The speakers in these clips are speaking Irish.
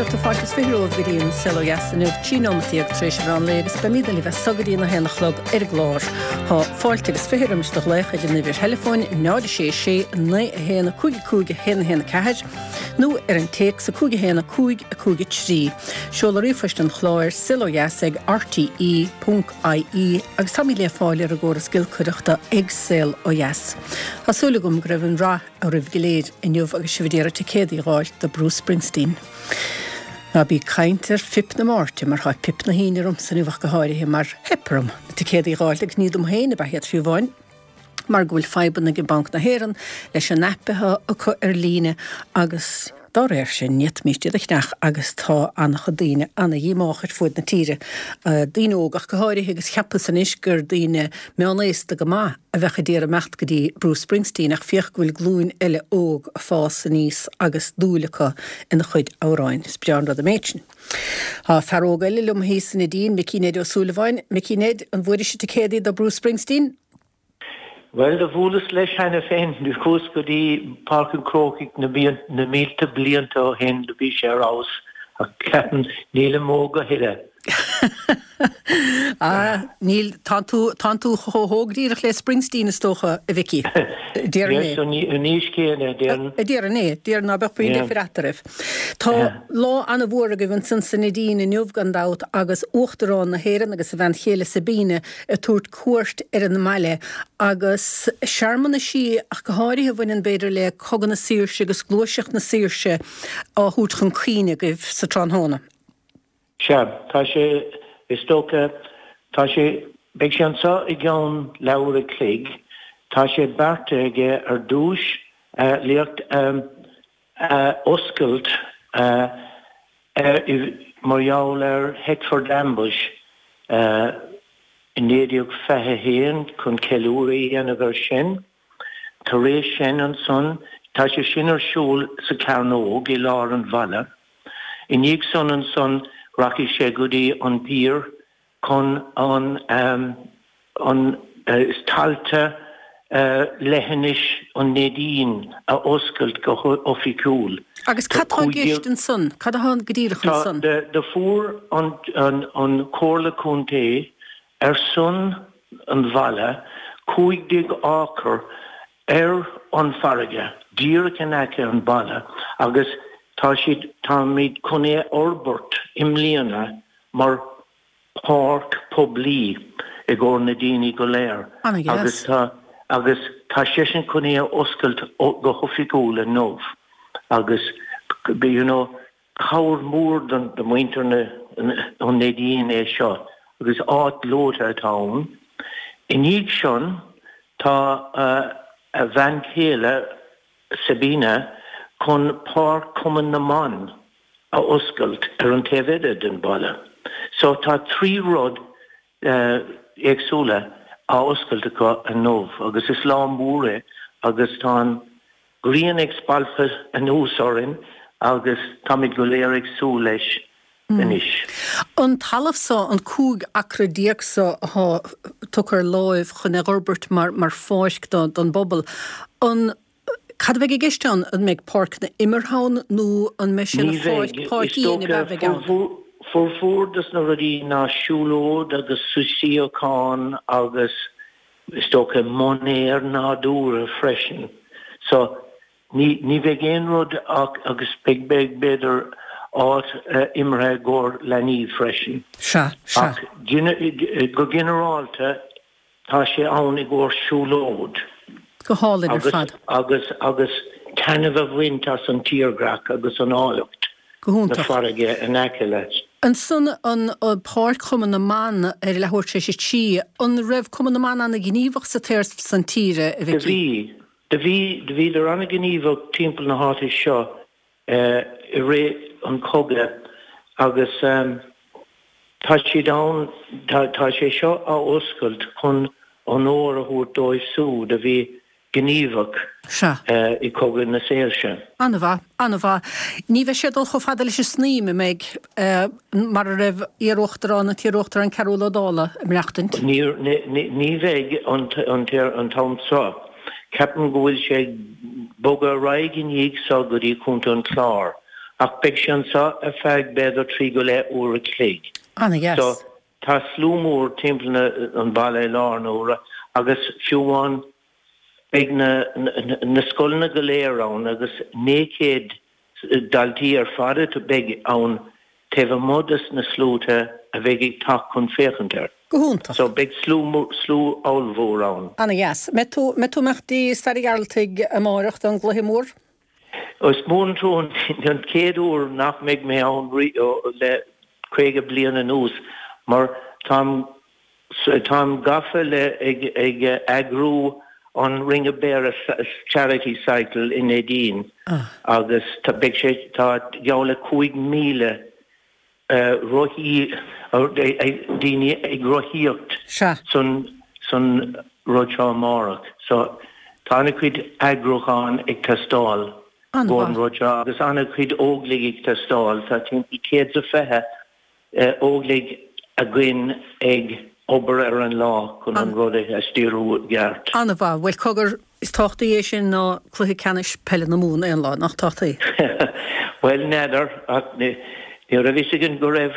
éisteachta, fáilte is 20 romhaibh go dtí an Saol Ó Dheas inniu, 13 nóimeat tar éis an mheán lae agus beimidne libh as so go dtí an 1 a chlog ar an gclár. Tá fáilte agus 20 roimis do ghlaoch ar an uimhir theileafóin 0 6 6 9 1 5 5 1 1 4 nó ar an téacs 5 1 5 5 3. Seoladh ríomhphoist an chláir, saolodheas ag rte ponc ie agus táimid le fáil ar an gcóras giolcaireachta ag Saol Ó Dheas. Tá súil agam go raibh an rath oraibh go léir inniu agus sibh ag iarraidh ticéadaí a dh'fháilt do Bruce Springsteen. Ná bí ag caint ar phip na Máirte mar tá pip na hAoine ormsa inniu ach go háirithe mar theip orm na ticéadaí a dh'fháilt agus ní dom féin ab ea iad fiú amháin mar go bhfuil fadhbanna ag Banc na hÉireann leis an aip atá acu ar líne agus Dá réir sin, ní fhéadfaimíst iad a cheannach agus tá an-chuid daoine ana-dhíomách ar fuaid na tíre, daoine óga ach go háirithe, agus cheapas anois gur daoine meánaosta go maith a bheadh ag iarraidh imeacht go dtí Bruce Springsteen ach féach go bhfuil glúin eile óg ag fás aníos agus dúil acu ina chuid amhráin. Is breá an rud an méid sin. Tá fear óg eile liom thíos sa Neidín, Micí Ned Ó Súilleabháin. Micí Ned, an bhfuairis ticéadaí do Bruce Springsteen? Bhuel, do bhuaileas leis cheana féin. Do chuas go dtí Páirc an Chrócaigh na mílte blianta ó shin, do bhí sé ar fheabhas, ach ceapaim, nílim óg a thuilleadh. Ah, níl, tánn tú, tánn tú chomh hóg díreach le Springsteen, is dócha, a Mhicí. Déarfainn é. Yes, an aois chéanna, déarfainn. Déarfainn é, déarfainn ná beadh puinn difir eatarthu. Tá lá ana-mhór agaibh ansan sa Neidín inniu, gan dabht, agus Uachtarán na hÉireann agus a bhean chéile Sabina ag tabhairt cuairt ar an mbaile agus searmanaisí ach go háirithe a bhaineann b'fhéidir le Cogadh na Saoirse agus Gluaiseacht na Saoirse á thabhairt chun cuimhne agaibh sa tráthnóna. Sea, tá sé, is dócha, tá sé, beidh sé anseo i gceann leathuair a chloig. Tá sé beartaithe aige ar dtúis léacht a oscailt mar gheall ar Headford Ambush i 1921 chun ceiliúradh a dhéanamh air sin. Tar éis sin ansan, tá sé sin ar siúl sa Chearnóg i lár an bhaile. I ndiaidh san ansan rachaidh sé go dtí an pier chun an an tailte leithinis an Neidín a oscailt go hoifigiúil. Agus cad tá i gceist ansan? Cad atá go díreach ansan? Do fuair an an Chomhairle Contae ar son an bhaile 15 acre ar an farraige díreach in aice an baile agus tá siad táimid chun é a fhorbairt i mbliana mar páirc poiblí i gcomhair na daoine go léir agus tá agus tá seisean chun é a oscailt go hoifigiúil inniu agus you know cabhair mhór don do mhuintir na an Neidín é seo agus áit ghleoite atá ann. I ndiaidh sin tá a bhean chéile Sabina chun Páirc Chumann na mBan a oscailt ar an taobh eile den bhaile. So tá 3 rud éagsúla á oscailt acu inniu agus is lá mór é agus tá an ghrian ag spalpadh anuas orainn agus táimid go léir ag súil leis anois. An talamh so, an 15 acra so athá tugtha ar láimh chun é dh'fhorbairt mar mar pháirc don bpobal, an, cad a bheidh i gceist ann? An mbeidh páirceanna imeartha ann nó an mbeidh sé ina pháirc, páirc fhiáin ab ea a bheidh ann? Formhór dos na rudaí ná siúlóid agus suíochán agus is dócha móinéar nádúrtha freisin. So Ní, ní bheidh aon rud ach, agus beidh, beidh, b'fhéidir, áit imeartha i gcomhair leanaí freisin. Sea, sea. Ach go ginearálta, tá sé ann i gcomhair siúlóid. Go hálainn ar fad. Agus, agus taitneamh a bhaint as an tírdhreach agus an áilleacht. Go hiontach. Na farraige in aice leat. Ansan an páirc Chumann na mBan ar leathuair tar éis a 3, an raibh Cumann na mBan ana-ghníomhach sa taobh san tíre, a Do Mhicí? bhí. Do bhí, do bhíodar an-ghníomhach timpeall na háite seo i rith an chogaidh agus tá siad ann, tá, tá sé seo á oscailt chun onóir a thabhairt dóibh siúd a bhí gníomhach Sea. i Cogadh na Saoirse. An-mhaith, an-mhaith. Ní bheidh sé ag dul chomh fada leis an Snaidhm, an mbeidh, mar a raibh iar-uachtarán, an t-iar-uachtarán Cearbhall Ó Dálaigh ag maireachtaint? Ní, ní, ní bheidh an, an, an t-am seo. Ceapaim go bhfuil sé ag bogadh ar aghaidh i ndiaidh seo go dtí Contae an Chláir. Ach beidh sé anseo ar feadh b'fhéidir 3 go leith uair a chloig. Ana-dheas. So tá slua mór timpeall na an baile i láthair na huaire agus fiú amháin beidh na na scoileanna go léir ann agus 900 daltaí ar fad a beidh ann taobh amuigh des na sluaite a bheidh ag teacht chun féachaint air. Go hiontach. So beidh slua slua ollmhór ann. Ana-dheas. Mbeidh tú mbeidh tú ag imeacht dtí Staid an Ghearaltaigh amáireach don gcluiche mór? Is mór an trua an chéad uair nach mbeidh mé ann le 50 bliain anuas mar táim táim gafa le ag ag eagrú an Ring of Beara Charity Cycle i Neidín agus tá beidh sé tá geall le 5,000 rothaí daoine ag rothaíocht san san rud seo amárach. So tá ana-chuid eagrúcháin ag teastáil don rud seo agus ana-chuid óglaigh ag teastáil. Tá timpeall 120 óglaigh againn ag obair ar an lá chun an rud a stiúradh i gceart. An-mhaith. Bhuel cogar, is tábhachtaí é sin ná cluiche ceannais peile na Mumhan aon lá, nach tábhachtaí? Bhuel, n'fheadar, ach ní raibh a fhios againn go raibh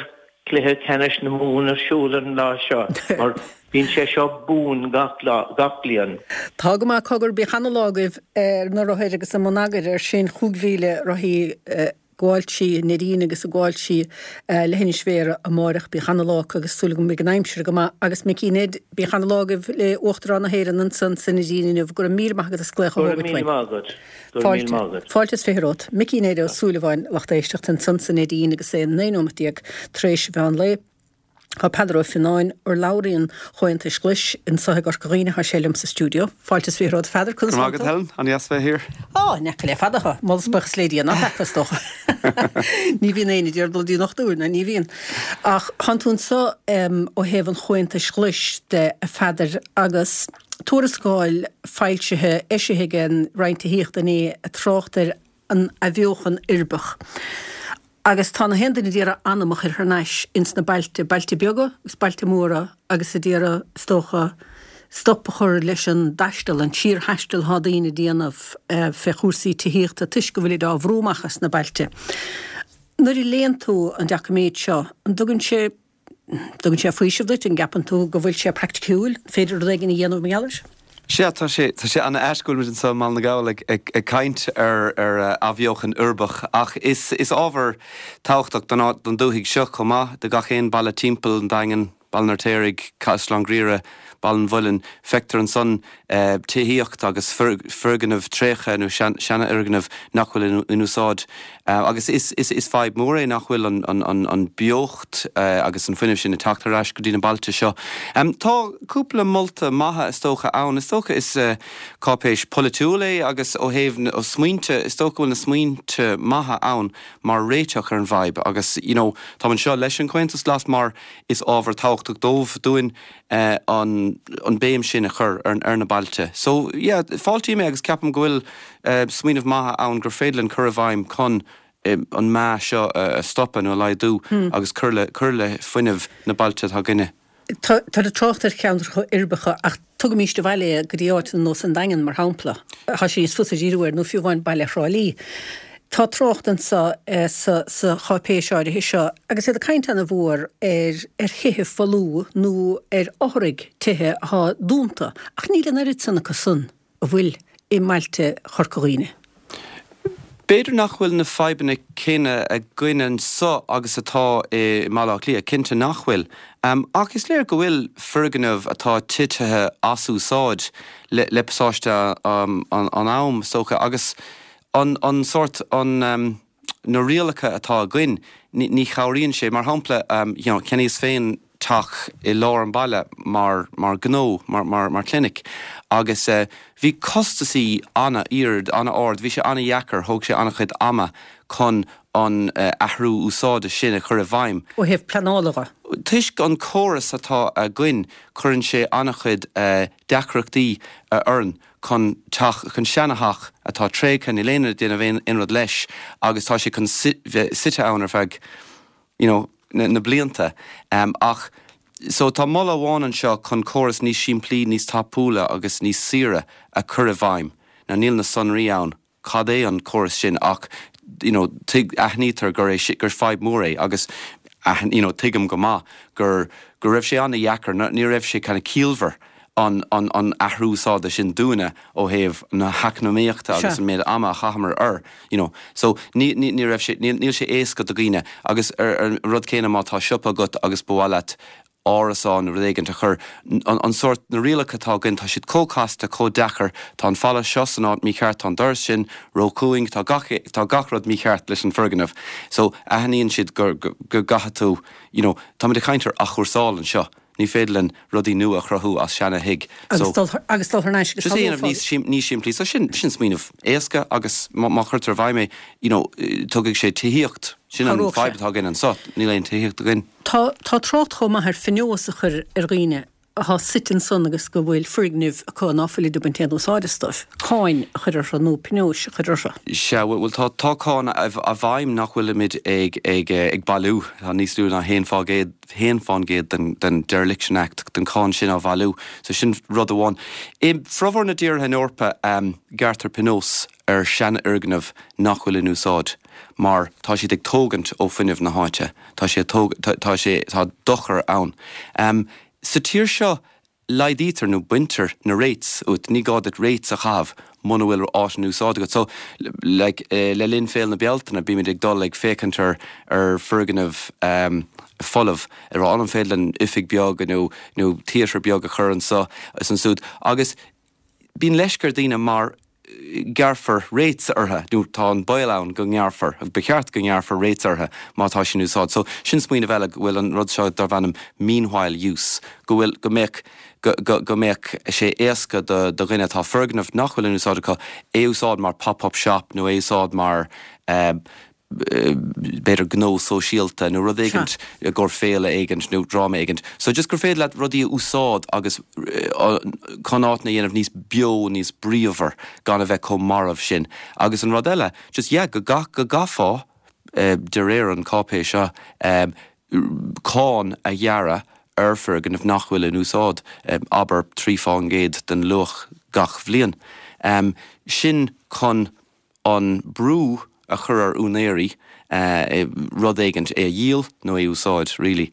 cluiche ceannais na Mumhan ar siúl an lá seo, mar bíonn sé seo buan gach lá, gach bliain. Tá go maith, cogar, bíodh ana-lá agaibh ar na rothair agus i mbun eagair ar sin, 5,000 rothaí gabháil trí Neidín agus ag gabháil trí Leithinis Bhéarra amáireach. Bíodh ana-lá acu agus súil agam go mbeidh an aimsir go maith. Agus Micí Ned, bíodh ana-lá agaibh le Uachtarán na hÉireann ansan sa Neidín inniu. Go raibh míle maith agat as glaoch a Go raibh míle maith agat. Go raibh míle maith agat. Fáilte is 20 romhat. Micí Ned Ó Súilleabháin, lucht éisteachta ansan sa Neidín agus é 19 nóimeat tar éis an mheán lae. Tá Peadar Ó Fionnáin, urlabhraí an Chomhaontais Ghlais anso i gCorca Dhuibhne, tá sé liom sa stiúideo. Fáilte is 20 romhat, a Pheadair, conas tánn tú? Go raibh maith agat, Helen, an-dheas bheith thiar. Á, ní fhaca le fada thú. Moladh is buíochas le Dia ná feaca, is dócha. Ní bhíonn éinne ag iarraidh dul dtí an dochtúir, ná ní bhíonn. Ach tánn tú anso ó thaobh an Chomhaontais Ghlais de, a Pheadair, agus tuarascáil foilsithe, eisithe ag an Roinn Tithíochta inné ag trácht ar an athbheochan uirbeach. Agus tá na haon duine d'iarraidh anam a chur thar n-ais ins na bailte, bailte beaga agus bailte móra agus a d'iarraidh, is dócha, stop a chur leis an dtaisteal, an síorthaisteal atá daoine a déanamh fé chúrsaí tithíochta toisc go bhfuilid á bhrú amach as na bailte. Nuair a léann tú an doiciméad seo, an dtugann sé dtugann sé faoiseamh duit? An gceapann tú go bhfuil sé praiticiúil? An féidir rud éigin a dhéanamh mar gheall air? Sea, tá sé, tá sé ana-ait go bhfuil muid anseo i mBaile na nGall ag, ag, ag caint ar, ar athbheochan uirbeach ach is, is ábhar tábhachtach don, don dúthaigh seo chomh maith, do gach aon baile timpeall an Daingin, Baile an Fheirtéaraigh, Caisleán Ghriaire, Baile an Mhuilinn, feictear ansan tithíocht agus foirgnimh tréigthe nó seanfhoirgnimh nach bhfuil in úsáid. Agus is fadhb mhór é nach bhfuil an beocht agus an fuinneamh sin ag teacht ar ais go dtí na bailte seo. Tá cúpla molta maithe is dócha ann. Is dócha is cáipéis polaitiúil é agus ó thaobh na smaointe, is dócha go bhfuil na smaointe maithe ann mar réiteach ar an bhfadhb. Agus you know táim anseo leis an Chomhaontas Glas mar is ábhar tábhachtach dóibh, dúinn, an an béim sin a chur ar ar na bailte. So yeah, fáiltím é agus ceapaim go bhfuil smaoineamh maith ann gur féidir linn cur i bhfeidhm chun an meath seo a stopadh nó a laghdú agus cur le cur le fuinneamh na bailte atá againne. Tá ag trácht ar cheantracha uirbeacha ach tugaimíst abhaile é go dtí áit ar nós an Daingean, mar shampla. Tá sé níos fusa díriú air, nó fiú amháin baile Thrá Lí. Tá trácht anso sa cháipéis áirithe seo, agus iad ag caint ana-mhór ar ar thithe folmha nó ar fhothraigh tithe athá dúnta, ach níl an oiread san acu san a bhfuil i mbailte Chorca Dhuibhne. B'fhéidir nach bhfuil na fadhbanna céanna againn anso agus atá i mBaile Átha Cliath, cinnte nach bhfuil. Ach is léir go bhfuil foirgnimh atá titithe as úsáid le pasáiste an am, is dócha, agus an, an sórt, an, na rialacha atá againn, ní, ní chabhraíonn sé. Mar shampla, you know, cheannaíos féin teach i lár an bhaile mar, mar ghnó, mar, mar, mar chlinic agus bhí costasaí an-ard, an-ard, bhí sé an-dheacair, thóg sé an-chuid ama chun an athrú úsáide sin a chur i bhfeidhm. Ó thaobh pleanála dhe. Toisc an córas atá againn, cuireann sé an-chuid deacrachtaí orainn. chun teach, chun seana-theach atá tréigthe, níl éinne ag déanamh aon rud leis agus tá sé chun bheith suite ann ar feadh you know na blianta. Ach so tá moladh amháin anseo chun córas níos simplí, níos tapúla agus níos saoire a chur i bhfeidhm. Now níl na sonraí ann cad é an córas sin ach. you know, tuig, aithnítear gur é, gur fadhb mhór é agus you know, tuigim go maith gur, go raibh sé an-dheacair, ní raibh sé kind of ciallmhar an, an, an athrú úsáide sin dúinne ó thaobh na heacnamaíochta agus an méid ama a chaitheamar air, you know. So ní, ní, ní raibh sé, níl, níl sé éasca do dhaoine agus ar, ar an rud céanna má tá siopa agat agus ba mhaith leat árasán nó rud éigint a chur, an sórt, na rialacha atá againn, tá siad chomh casta, chomh deacair, tá an falla seo san áit mícheart, tá an doras sin róchúng, tá gach, tá gach rud mícheart leis an foirgneamh. So, aithníonn siad gur, go gcaithfidh tú, you know, táimid ag caint ar athchúrsáil anseo, ní féidir linn rudaí nua a chruthú as seana thigh. So, agus dul thar n-ais agus just é a dhéanamh níos, níos simplí. So sin, sin smaoineamh éasca agus má, má chuirtear i bhfeidhm é, you know, tugfaidh sé tithíocht, sin an fadhb atá againn anseo, níl aon tithíocht againn. Tá tá trácht chomh maith ar phionós a chur ar dhaoine athá suite ansan agus go bhfuil foirgnimh acu ná fuilid ag baint aon úsáid astu, cáin a chur orthu nó pionóis a chur orthu. Sea, bhuel tá tá cáin i bhfeidhm nach bhfuilimid ag ag ag bailiú. Tá níos lú ná haon fá gcéad haon fán gcéad den den Dereliction Act den cáin sin á bhailiú. So sin rud amháin. I bhformhór na dtíortha in Eorpa gearrtar pionós ar seanfhoirgnimh nach bhfuil in úsáid mar tá siad ag tógaint ó fuinneamh na háite, tá sé tóg, tá sé, tá dochar ann. Sa tír seo laghdaítear nó baintear na rates uait, ní gá duit rates a chaitheamh muna bhfuil áit in úsáid agat. So, like, le linn Féile na Bealtaine bímid ag dul ag féachaint ar ar foirgnimh folamh, ag rá an féidir linn oifig beag nó nó theatre beag a chur anso is ansúd agus Bíonn leisce ar daoine mar gearrfar rates orthu, nó tá an baol ann go ngearrfar, agus ba cheart go ngearrfar rates orthu má tá sin in úsáid. So, sin smaoineamh eile, go bhfuil an rud seo darb ainm meanwhile use, go bhfuil, go mbeadh, go, go, go mbeadh sé éasca do, do dhuine atá foirgneamh nach bhfuil in úsáid acu, é a úsáid mar pop-up shop nó é a úsáid mar eh, b'fhéidir gnó sóisialta nó rud éigint i gcomhair féile éigint nó dráma éigint. So just gur féidir leat rudaí a úsáid agus chun áiteanna a dhéanamh níos beo, níos bríomhar gan a bheith chomh marbh sin. Agus an rud eile, just yeah, go gcaithfeá de réir an cáipéis seo cáin a ghearradh ar foirgnimh nach bhfuil in úsáid, abair 3 fán gcéad den luach gach bhliain. Sin chun an brú a chur ar úinéirí rud éigint, é a dhíol nó é a úsáid, really.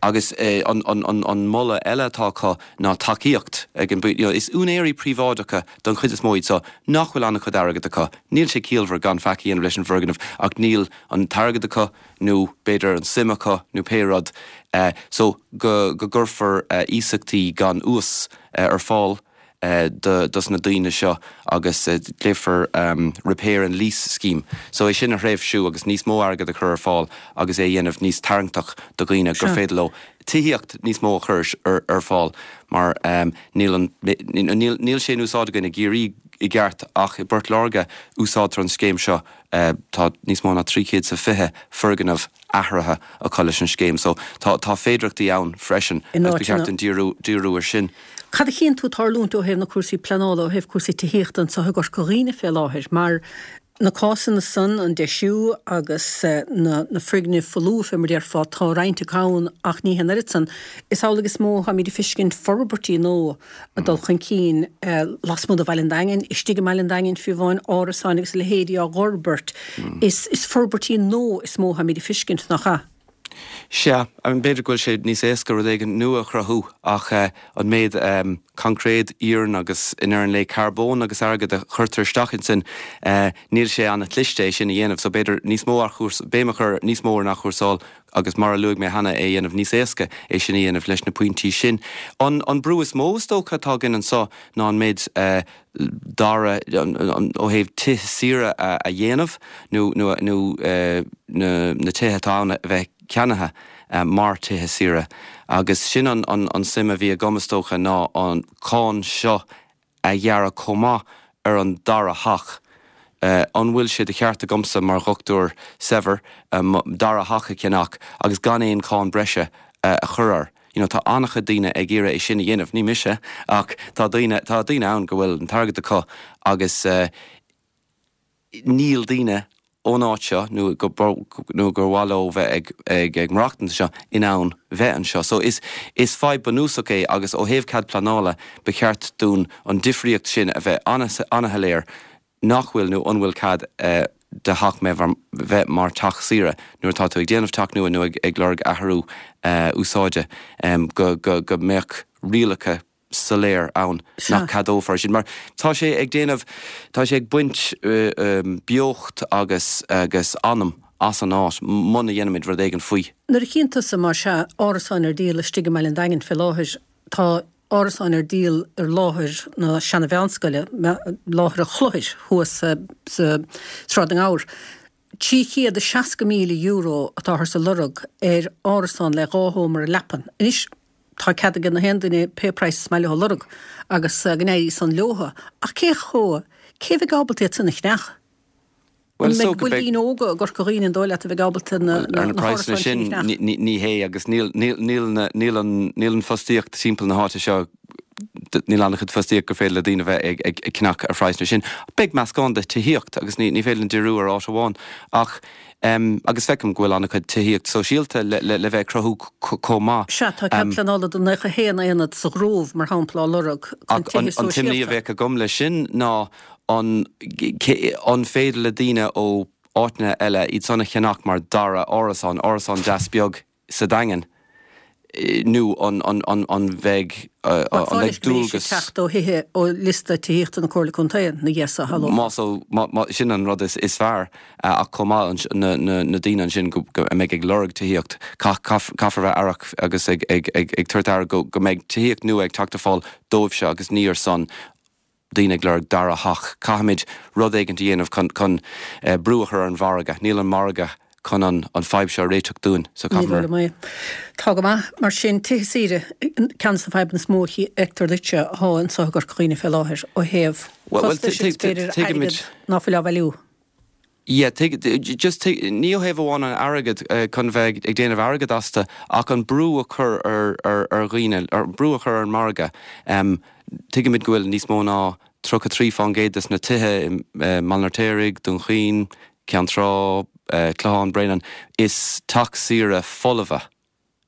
Agus an moladh eile atá acu ná tacaíocht ag an, you know, is úinéirí príobháideacha don chuid is mó iad seo nach bhfuil an-chuid airgead acu. Níl sé ciallmhar gan faic a dhéanamh leis an bhfoirgneamh ach níl an t-airgead acu nó b'fhéidir an suim acu nó pé rud. So go gcuirfear iasachtaí gan ús ar fáil dos na daoine seo agus glaofar Repair and Lease Scheme. So é sin a thréimhsiú agus níos mó airgead a chur ar fáil agus é a dhéanamh níos tarraingteach do dhaoine gur féidir leo tithíocht níos mó a chur ar fáil mar níl an, níl sé in úsáid againn i gCiarraí i gceart ach i bPort Láirge úsáidtear an scéim seo, tá níos mó ná 320 foirgneamh athraithe acu leis an scéim so tá tá féidearthachtaí ann freisin agus ba cheart dúinn díriú díriú ar sin. Cad a chíonn tú ag tarlúint ó thaobh na cúrsaí pleanála, ó thaobh cúrsaí tithíochta anseo i gCorca Dhuibhne fé láthair? Mar na cásanna san, an deisiú agus na na foirgnimh folmha fé mar déarfá, tá roinnt acu ann ach ní hé an oiread san. Is amhlaidh is mó atáimid ag feiscint forbairtí nua ag dul chun cinn lasmuigh de Bhaile an Daingin, istigh i mBaile an Daingin fiú amháin, árasáin agus a leithéidí á bhforbairt. Is is forbairtí nua is mó atáimid ag feiscint, nach ea? Sea, b'fhéidir go bhfuil sé níos éasca rud éigin nua a chruthú ach an méid coincréid, iarann agus i ndeireadh an lae carbón agus airgead a chuirtear isteach ansin, níl sé an-chliste é sin a dhéanamh. So b'fhéidir níos mó béim a chur níos mó ar an athchúrsáil agus mar a luaigh mé cheana, é a dhéanamh níos éasca é sin a dhéanamh leis na pointí sin. An brú is mó is dócha atá againn anseo ná an méid dara, ó thaobh tithe saoire a dhéanamh nó na tithe atá ann a bheith ceannaithe mar tithe saoire agus sin an suim a bhí agam is dócha ná an cáin seo a ghearradh chomh maith ar an dara theach. An bhfuil sé de cheart agamsa mar dhochtúir saibhir mo dara theach a cheannach agus gan aon cháin breise a chur air? You know, tá an-chuid daoine ag iarraidh é sin a dhéanamh, ní mise, ach tá daoine, tá daoine ann go bhfuil an t-airgead acu agus níl daoine ón áit seo nó go nó gur mhaith leo bheith ag ag ag maireachtaint anseo in ann bheith anseo. So is is fadhb bunúsach é agus ó thaobh cead pleanála ba cheart dúinn an difríocht sin a bheith an-shoiléir nach bhfuil nó an bhfuil cead. de theach bheith mar teach saoire nuair atá tú ag déanamh teach nua nó ag lorg athrú úsáide go go mbeadh rialacha soiléir ann nach ceadófar sin mar tá sé ag déanamh, tá sé ag baint beocht agus agus anam as an áit muna dhéanaimid rud éigin faoi. Nuair a chíonn tusa, más ea, árasáin ar díol istigh i mBaile an Daingin fé láthair, tá árasáin ar díol ar láthair na seana-mheánscoile, láthair an Chlochair thuas sa Sráid na nGabhar. €360,000 atáthar ag lorg ar árasán le dhá sheomra leapan. Anois, tá cead ag na haon duine pé praghas is maith leo a lorg agus go n-éirí san leotha, ach cé chomh, cé a bheidh ábalta iad san a cheannach? An mbeidh, bhfuil daoine óga i gCorca Dhuibhne an dóigh leat a bheidh ábalta na Ar na praghsanna hárasáin sin a cheannach? ní hé agus níl, níl, níl na, níl an, níl an fostaíocht timpeall na háite seo, níl an-chuid fostaíocht gur féidir le daoine bheith ag, ag, ag ceannach ar phraghsanna sin. Beidh meascán de tithíocht agus ní, ní féidir linn díriú ar áit amháin ach em agus feicim go bhfuil an-chuid tithíocht sóisialta le, le, le bheith ag cruthú chomh maith. Sea, tá cead pleanála do 91 aonad sa Ghrove, mar shampla, á lorg chun Ach an, tithe an t-imní a sóisialta. bheadh agam leis sin ná An an féidir le daoine ó áiteanna eile iad san a cheannach mar dara árasán, árasán deas beag sa Daingean, nó an an an an bheidh an Bhuel, mbeidh fáil leis go mbeidh sé dualgas. teacht ó thithe ó liosta tithíochta na Comhairle Contae na gheasa a shamhlófá. Más ó má má sin an rud is is fearr ach chomh maith na na na daoine ansin go go a mbeidh ag lorg tithíocht caith caith caithfear bheith aireach agus ag ag ag ag tabhairt aire go go mbeidh tithíocht nua ag teacht ar fáil dóibhse agus ní ar son daoine ag lorg dara theach. Caithfimid rud éigint a dhéanamh chun chun brú a chur ar an mhargadh. Níl an margadh chun an an fadhb seo a réiteach dúinn so Ní dóigh caithfear. liom é. Tá go maith. Mar sin, tithe saoire, ceann de na fadhbanna is mó a fheictear duitse atá anseo i gCorca Dhuibhne fé láthair ó thaobh Bhuel, bhuel, costais agus b'fhéidir tuigimid. airgead ná fuil á bhailiú. Yeah, tuig, just tuig, ní ó thaobh amháin an airgead, chun bheith ag déanamh airgead astu, ach an brú a chur ar, ar, ar dhaoine, ar, brú a chur ar an margadh. Tuigimid go bhfuil níos mó ná 33% des na tithe i mBaile an Fheirtéaraigh, Dún Chaoin, Ceann Trá, Clochán, Bréanainn, is teach saoire folmha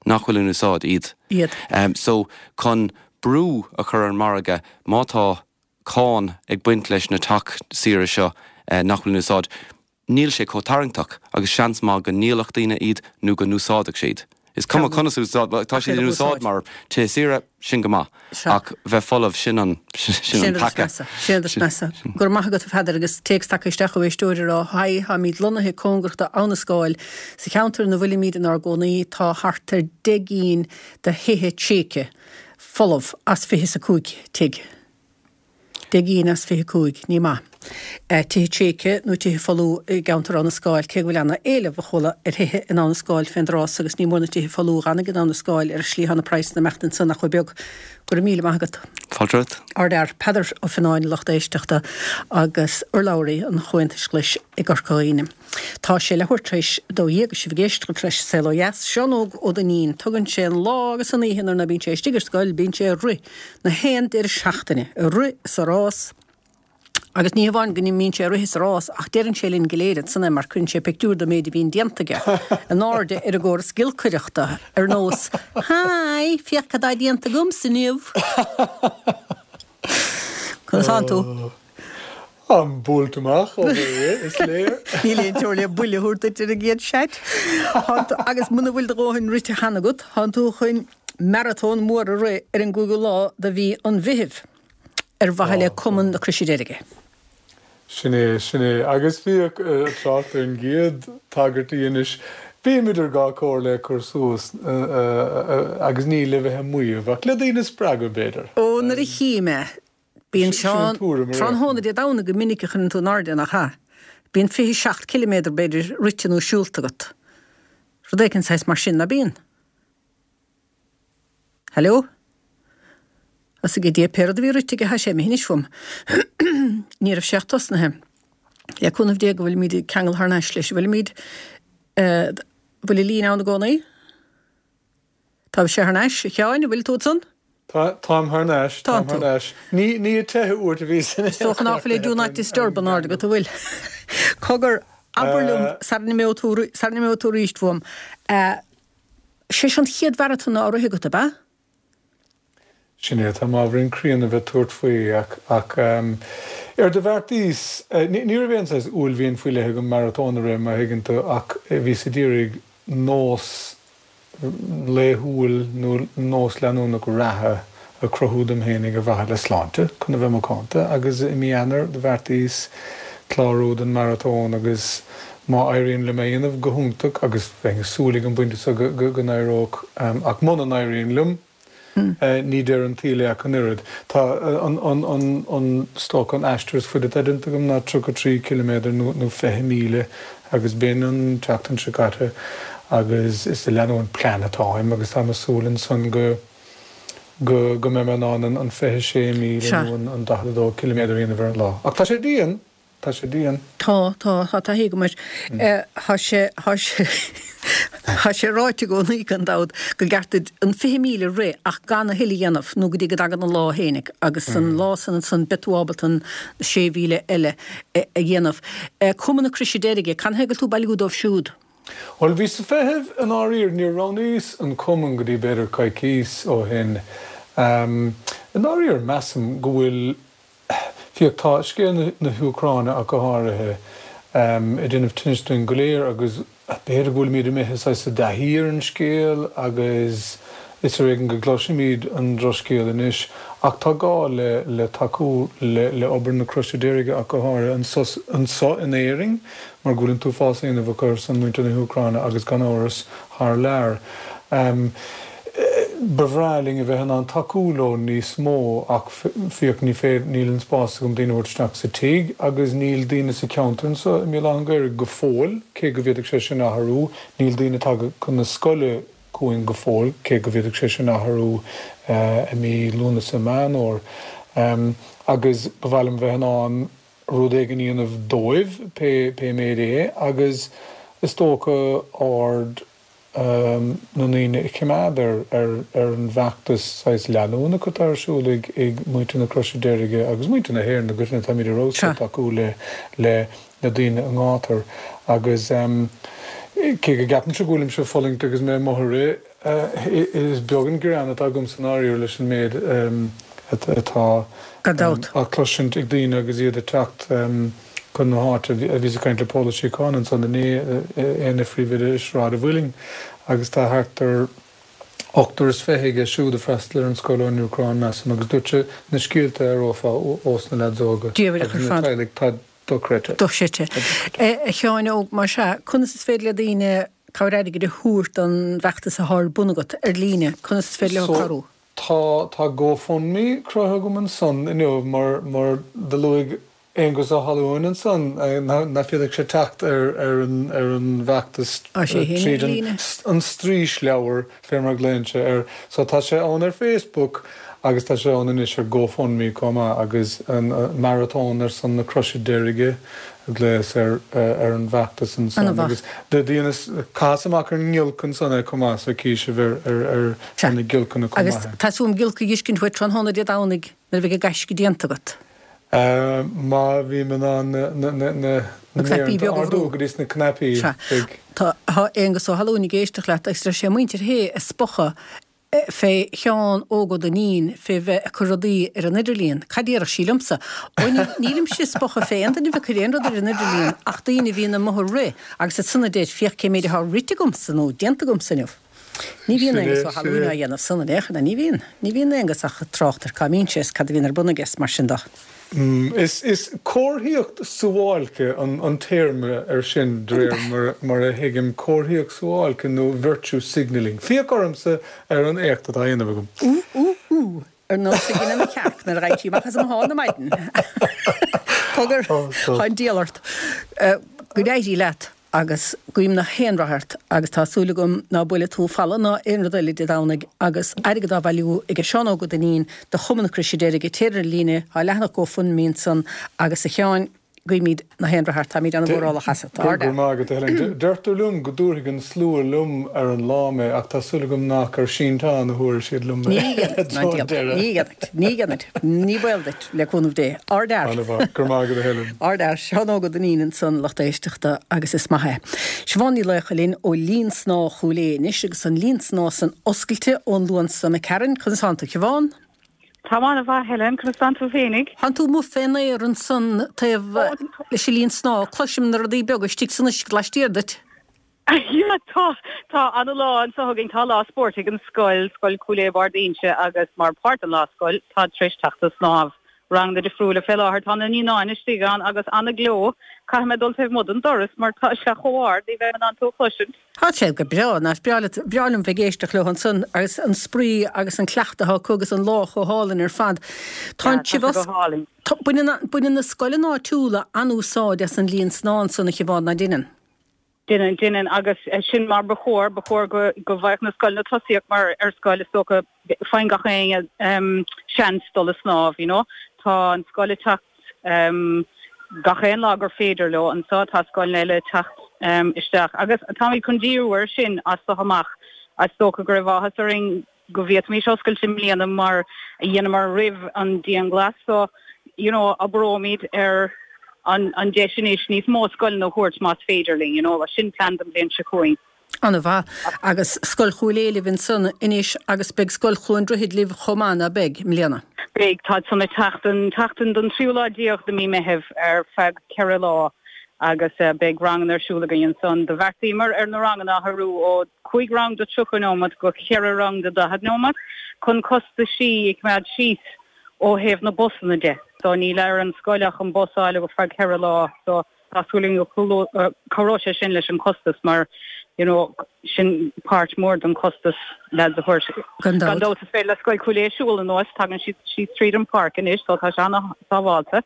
nach bhfuil in úsáid iad. Iad. So, chun brú a chur ar an margadh, má tá cáin ag baint leis na teach saoire seo nach bhfuil in úsáid, níl sé chomh tarraingteach agus seans maith go ndíolfadh daoine iad nó go n-úsáidfeadh siad. Is cuma conas a úsáid, tá siad in úsáid mar tithe saoire, sin go maith, ach bheith folamh, sin an sin an peaca. Sin an rud is measa. Go raibh maith agat a Pheadair agus téacs tagtha isteach ó éisteoir ag rá, Haigh, táimid lonnaithe cóngarach do Abha na Scáil. Sa cheantar ina bhfuilimid inár gcónaí tá thart ar 10 gcinn de thithe tréigthe. folamh as 25 tigh. 10 gcinn as 25, ní maith. Tithe tréigthe nó tithe folmha i gceantar Abha na Scáil, cé go bhfuil ana éileamh a chuala ar thithe in Abha na Scáil fén dtráth so agus ní mór na tithe folmha a dh'fhan in Abha na Scáil ar an slí thá na praghsanna imeacht ansan nach bhfuil beag. Go raibh míle maith agat. Fáilte romhat. Ardfhear, Peadar Ó Fionnáin, lucht éisteachta agus urlabhraí an Chomhaontais Ghlais i gCorca Dhuibhne. Tá sé leathuair tar éis a 12 agus sibh ag éisteacht leis An Saol Ó Dheas. Seán Óg Ó Duinnín. Tugann sé an lá agus an oíche nuair ná bíonn sé istigh ar scoil, bíonn sé ag rith na haon deireadh seachtaine, ag rith is ag rás. Agus ní hamháin go mbíonn sé ag rith is ag rás ach deireann sé linn go léir ansan é mar cuireann sé pictiúr den méid a bhíonn déanta aige in airde ar an gcóras giolcaireachta ar nós Hi, féach cad tá déanta agamsa inniu! Conas tánn tú? Táim buailte amach ó rith, is léir. Níl aon teora le buille a thabhairt duit ar an gcéad chat. Agus muna bhfuil do dhóthain rite cheana agat, tánn tú chun maratón mór a rith ar an gcúigiú lá de mhí an Mheithimh ar mhaithe le Cumann na Croise Deirge. Sin é, sin é. Agus bhíodh trácht ar an gcéad tagairt a dheinis, bím idir dhá chomhairle ag cur suas agus ní le bheith ag maíomh ach le daoine a spreagadh, b'fhéidir. Ó, nuair a chím é, Bíonn Seán, tráthnóna Dé Domhnaigh go minic a chuireann tú in airde, nach ea? Bíonn 27 ciliméadar, b'fhéidir, rite nó siúlta agat. Rud éicint saghas mar sin, ná bíonn? Hello? Thosaigh a Dhia, pé rud a bhí rite aige, tá sé imithe anois uaim. Ní raibh sé ach tosnaithe. Le cúnamh Dé go bhfuilimid ag ceangal thar n-ais leis. Bhfuilimid, eh, bhfuil an líne ann i gcónaí? Tá sé thar n-ais, a Sheáin, an bhfuil tú ansan? Tá, táim thar n-ais, táim thar n-ais. Ní, ní ag teitheadh uait a bhíos in Is dócha ná fuil do not disturb in airde agat, an bhfuil? Cogar, abair liom, sara n-imeoidh tú, sara n-imeoidh tú arís uaim, sé seo an chéad mharatón á rith agat, ab ea? Sin é, táim ábhairín críonna a bheith ag tabhairt faoi ach, ach. Ar do bheartaíos, ní raibh aon saghas uaillmhian faoi leith agam maratón a rith, má thuigeann tú, ach bhíos ag iarraidh nós laethúil nó nós leanúnach reatha a chruthú dom fhéinig ar mhaithe le sláinte, chun a bheith macánta, agus i mí Eanáir do bheartaíos clárú don maratón agus má éiríonn liom é a dhéanamh, go hiontach, agus bheinn ag súil ag an bpointe seo go n-éireodh, ach muna n-éiríonn liom, Ní deireadh an tsaoil é ach an oiread. Tá an, is dócha, an aistear is faide atá déanta agam ná 33 ciliméadar nó 20 míle agus b'in an tseachtain seo caite agus is ag leanúint plean atáim agus táim ag súil ansan go go go mbeidh mé in ann an 26 míle nó an 42 ciliméadar a dhéanamh ar an lá. Ach tá sé dian! Tá sé dian. Tá, tá, tá taithí agam air. Tá sé, tá sé, tá sé ráite i gcónaí gan dabht go gceart duit an 20,000 a rith ach gan a thuilleadh a dhéanamh nó go dtí go dtagann an lá fhéinig agus an lá san ansan beidh tú ábalta an 6,000 eile a dhéanamh. Cumann na Croise Deirge, canathaobh go bhfuil tú ag bailiú dóibh siúd? Bhuel, bhíos ag feitheamh i ndáiríre, níor roghnaíos an cumann go dtí b'fhéidir coicís ó shin. I ndáiríre, measaim go bhfuil Féach, tá scéal na hÚcráine ach go háirithe, ag déanamh tinnis dúinn go léir agus b'fhéidir go bhfuilimid imithe saghas i dtaithí ar an scéal agus is ar éigean go gcloisimid an drochscéal anois. Ach tá gá le le tacú le le obair na Croise Deirge ach go háirithe anseo in Éirinn mar go bhfuil an t-uafás á dhéanamh acu ar son muintir na hÚcráine agus gan amhras thar lear. Ba bhreá linn a bheith in ann tacú leo níos mó ach féach, ní féidir, níl an spás agam daoine a thabhairt isteach sa tigh agus níl daoine sa cheantar anseo i mBéal Átha an Ghaorthaidh go fóill, cé go bhféadfadh sé sin athrú, níl daoine tagtha chun na scoile chugainn go fóill, cé go bhféadfadh sé sin athrú i mí Lúnasa, Meán Fhómhair. Agus ba mhaith liom bheith in ann rud éigin a dhéanamh dóibh, pé méid é, agus is dócha aird na ndaoine a choimeád ar ar an bhfeachtas saghas leanúnach atá ar siúl ag ag muintir na Croise Deirge agus muintir na hÉireann i gcoitinne, táimid ar fheabhas ag tacú le le le daoine i ngátar agus cé go gceapaimse go bhfuilimse ag fulaingt agus mé amuigh ag rith, is beag an gearán atá agam i ndáiríre leis an méid atá á chloisint ag daoine agus iad ag teacht chun na háite. Bhíos ag caint le Pól Ó Síocháin ansan inné, é ina phríomhoide i Sráid a' Mhuilinn agus tá thart ar ochtar is fiche aige siúd ag freastal ar an scoil ón Úcráin, measaim, agus dúirt sé na scéalta a aireofá ós na leaids óga agus na teaghlaigh, tá dochreidte. Dochreidte. A Sheáin Óg, más ea, conas is féidir le daoine cabhair airgid a thabhairt don bhfeachtas atá ar bun agat ar líne? Conas is féidir leo cabhrú? Tá, tá GoFundMe cruthaithe agam ansan inniu mar, mar do luaigh Aengus Ó hAlmhain ansan nach bhféadfadh sé teacht ar ar an ar an bhfeachtas tríd an an straoisleabhar fé mar a ghlaonn sé air. So tá sé ann ar Facebook agus tá sé ann anois ar GoFundMe chomh maith agus an Maratón ar son na Croise Deirge a ghlaos ar ar an bhfeachtas ansan agus do dheineas chaitheas amach ar an ngiolc ansan é chomh maith so chí sibh ar ar ar na giolcanna chomh maith. Agus tá súil agam giolc a dh'fheiscint uait tráthnóna Dé Domhnaigh nuair a bheidh an gaisce déanta agat. Má bhím in ann na Na cnaipí méaranna beaga a a bhrú. ardú go dtí sna cnaipí, Sea. beidh. Tá Aengus Ó hAlmhain ag éisteacht leat agus deir sé muintir Shé ag spochadh fé Sheán Óg Ó Duinnín fé bheith ag cur rudaí ar an idirlíon. Cad déarfadh sí liomsa? Ó nílimse ag spochadh fé aon duine a bheith ag cur aon rud ar an idirlíon ach daoine a bhíonn amuigh ag rith agus ansan a deir féach cé méid atá rite agamsa nó déanta agamsa inniu. Ní bhíonn Sin é, Aengus Ó sin hAlmhain é. á dhéanamh san in aon chor, ní bhíonn. Ní bhíonn Aengus ach ag trácht ar cá mbíonn sé is cad a bhíonn ar bun aige is mar sin de. Is, is comharthaíocht suáilce an, an téarma ar sin, de réir mar, mar a thuigim, comharthaíocht suáilce nó virtue signalling. Féach ormsa ar an éacht atá á dhéanamh agam. Ú, ú, ú, ar nós a dheineadh mo chearc nuair a ghabhann sí amach as mo sháith ar maidin. Cogar, tá an diabhal ort. Go n-éirí leat. Agus guím na haon rath ort agus tá súil agam ná buailfidh tú falla ná aon rud eile Dé Domhnaigh agus airgead á bhailiú ag Seán Óg Ó Duinnín do Chumann na Croise Deirge, téir ar líne, tá leathanach GoFundMe ansan agus a Sheáin, guímid na haon rath ort, táimid ana-mhórálach asat. Go raibh maith agat, a Helen. Deirtear liom go dtabharfaidh an slua liom ar an lá mé ach tá súil agam nach ar sínteán a thabharfaidh siad liom mé. Ní dhéanfaidh, ná déanfaidh, ní dhéanfaidh, ní dhéanfaidh, ní baol duit. Le cúnamh Dé. Ardfhear! Ana-mhaith. Go raibh maith agat a Helen. Ardfhear. Seán Óg Ó Duinnín ansan, lucht éisteachta, agus is maith é. Siobhán Ní Laochdha linn ó Linn Snámha Chúil Aodha anois agus an linn snámha san oscailte ón Luan seo imigh tharainn. Conas tánn tú, Siobhán? Táim an-mhaith, Helen. Conas tánn tú féinig? Thánn tú amuigh fén aer ansan taobh leis an linn snámha. Cloisim na rudaí beaga istigh san uisce laistiar duit. Yeah, tá, tá ana-lá anso againn. Tá lá spóirt ag an scoil, Scoil Chúil Aodha Barr d'Inse agus mar páirt den lá scoil táid tar éis teacht ag snámh. Ranganna difriúla fé láthair. Tá na naíonáin istigh ann agus ana-gleo. Caithfidh mé dul taobh amuigh den doras mar tá sé chomh hard, ní bheinn in ann tú a chloisint. Tá sé go breá, nach breá leat, breá liom bheith ag éisteacht leo ansan agus an spraoi agus an cleachtadh atá acu agus an lá chomh hálainn ar fad. Tá an sé go hálainn. Baineann, baineann na scoileanna áitiúla an-úsáid as an linn snámha ansan a Shiobhán, ná deineann? Deineann, deineann agus sin mar ba chóir, ba chóir go, go bhfaigheadh na scoileanna tosaíocht mar ar scoil is dócha faigheann gach éinne seans dul a snámh, you know. Tá an scoil ag teacht gach aon lá gur féidir leo anso, tá scoileanna eile ag teacht isteach agus táimid chun díriú air sin as so amach. Is dócha go raibh áthas orainn go bhféadfaimis oscailt i mbliana mar a dheineamar roimh an dianghlas so you know oibreoimid ar an an deis anois níos mó scoileanna a thabhairt más féidir linn you know sin plean don bhliain seo chugainn. An-mhaith. Agus Scoil Chúil Aodha libh ansan anois agus beidh Scoil Chluain Droichid libh chomh maith, ná beidh, i mbliana? Beidh, táid san ag teacht an tseachtain den tríú lá déag de mí Meithimh ar feadh cheithre lá agus beidh ranganna ar siúl againn ansan. Do bheartaíomar ar na ranganna a athrú ó 5 rang de 30 nóimeat go 4 rang de 40 nóimeat chun costaisí a choimeád síos ó thaobh na busanna de. So níl ar an scoil ach an bus a fháil ar feadh 4 lá so tá súil againn go cabhróidh sé sin leis an costas mar you know sin páirt mór den costas leaids a thabhairt. Gan dabht is féidir le Scoil Chúil Aodha siúl anuas, tagann siad síos tríd an pháirc anois so tá sé an-sábháilte.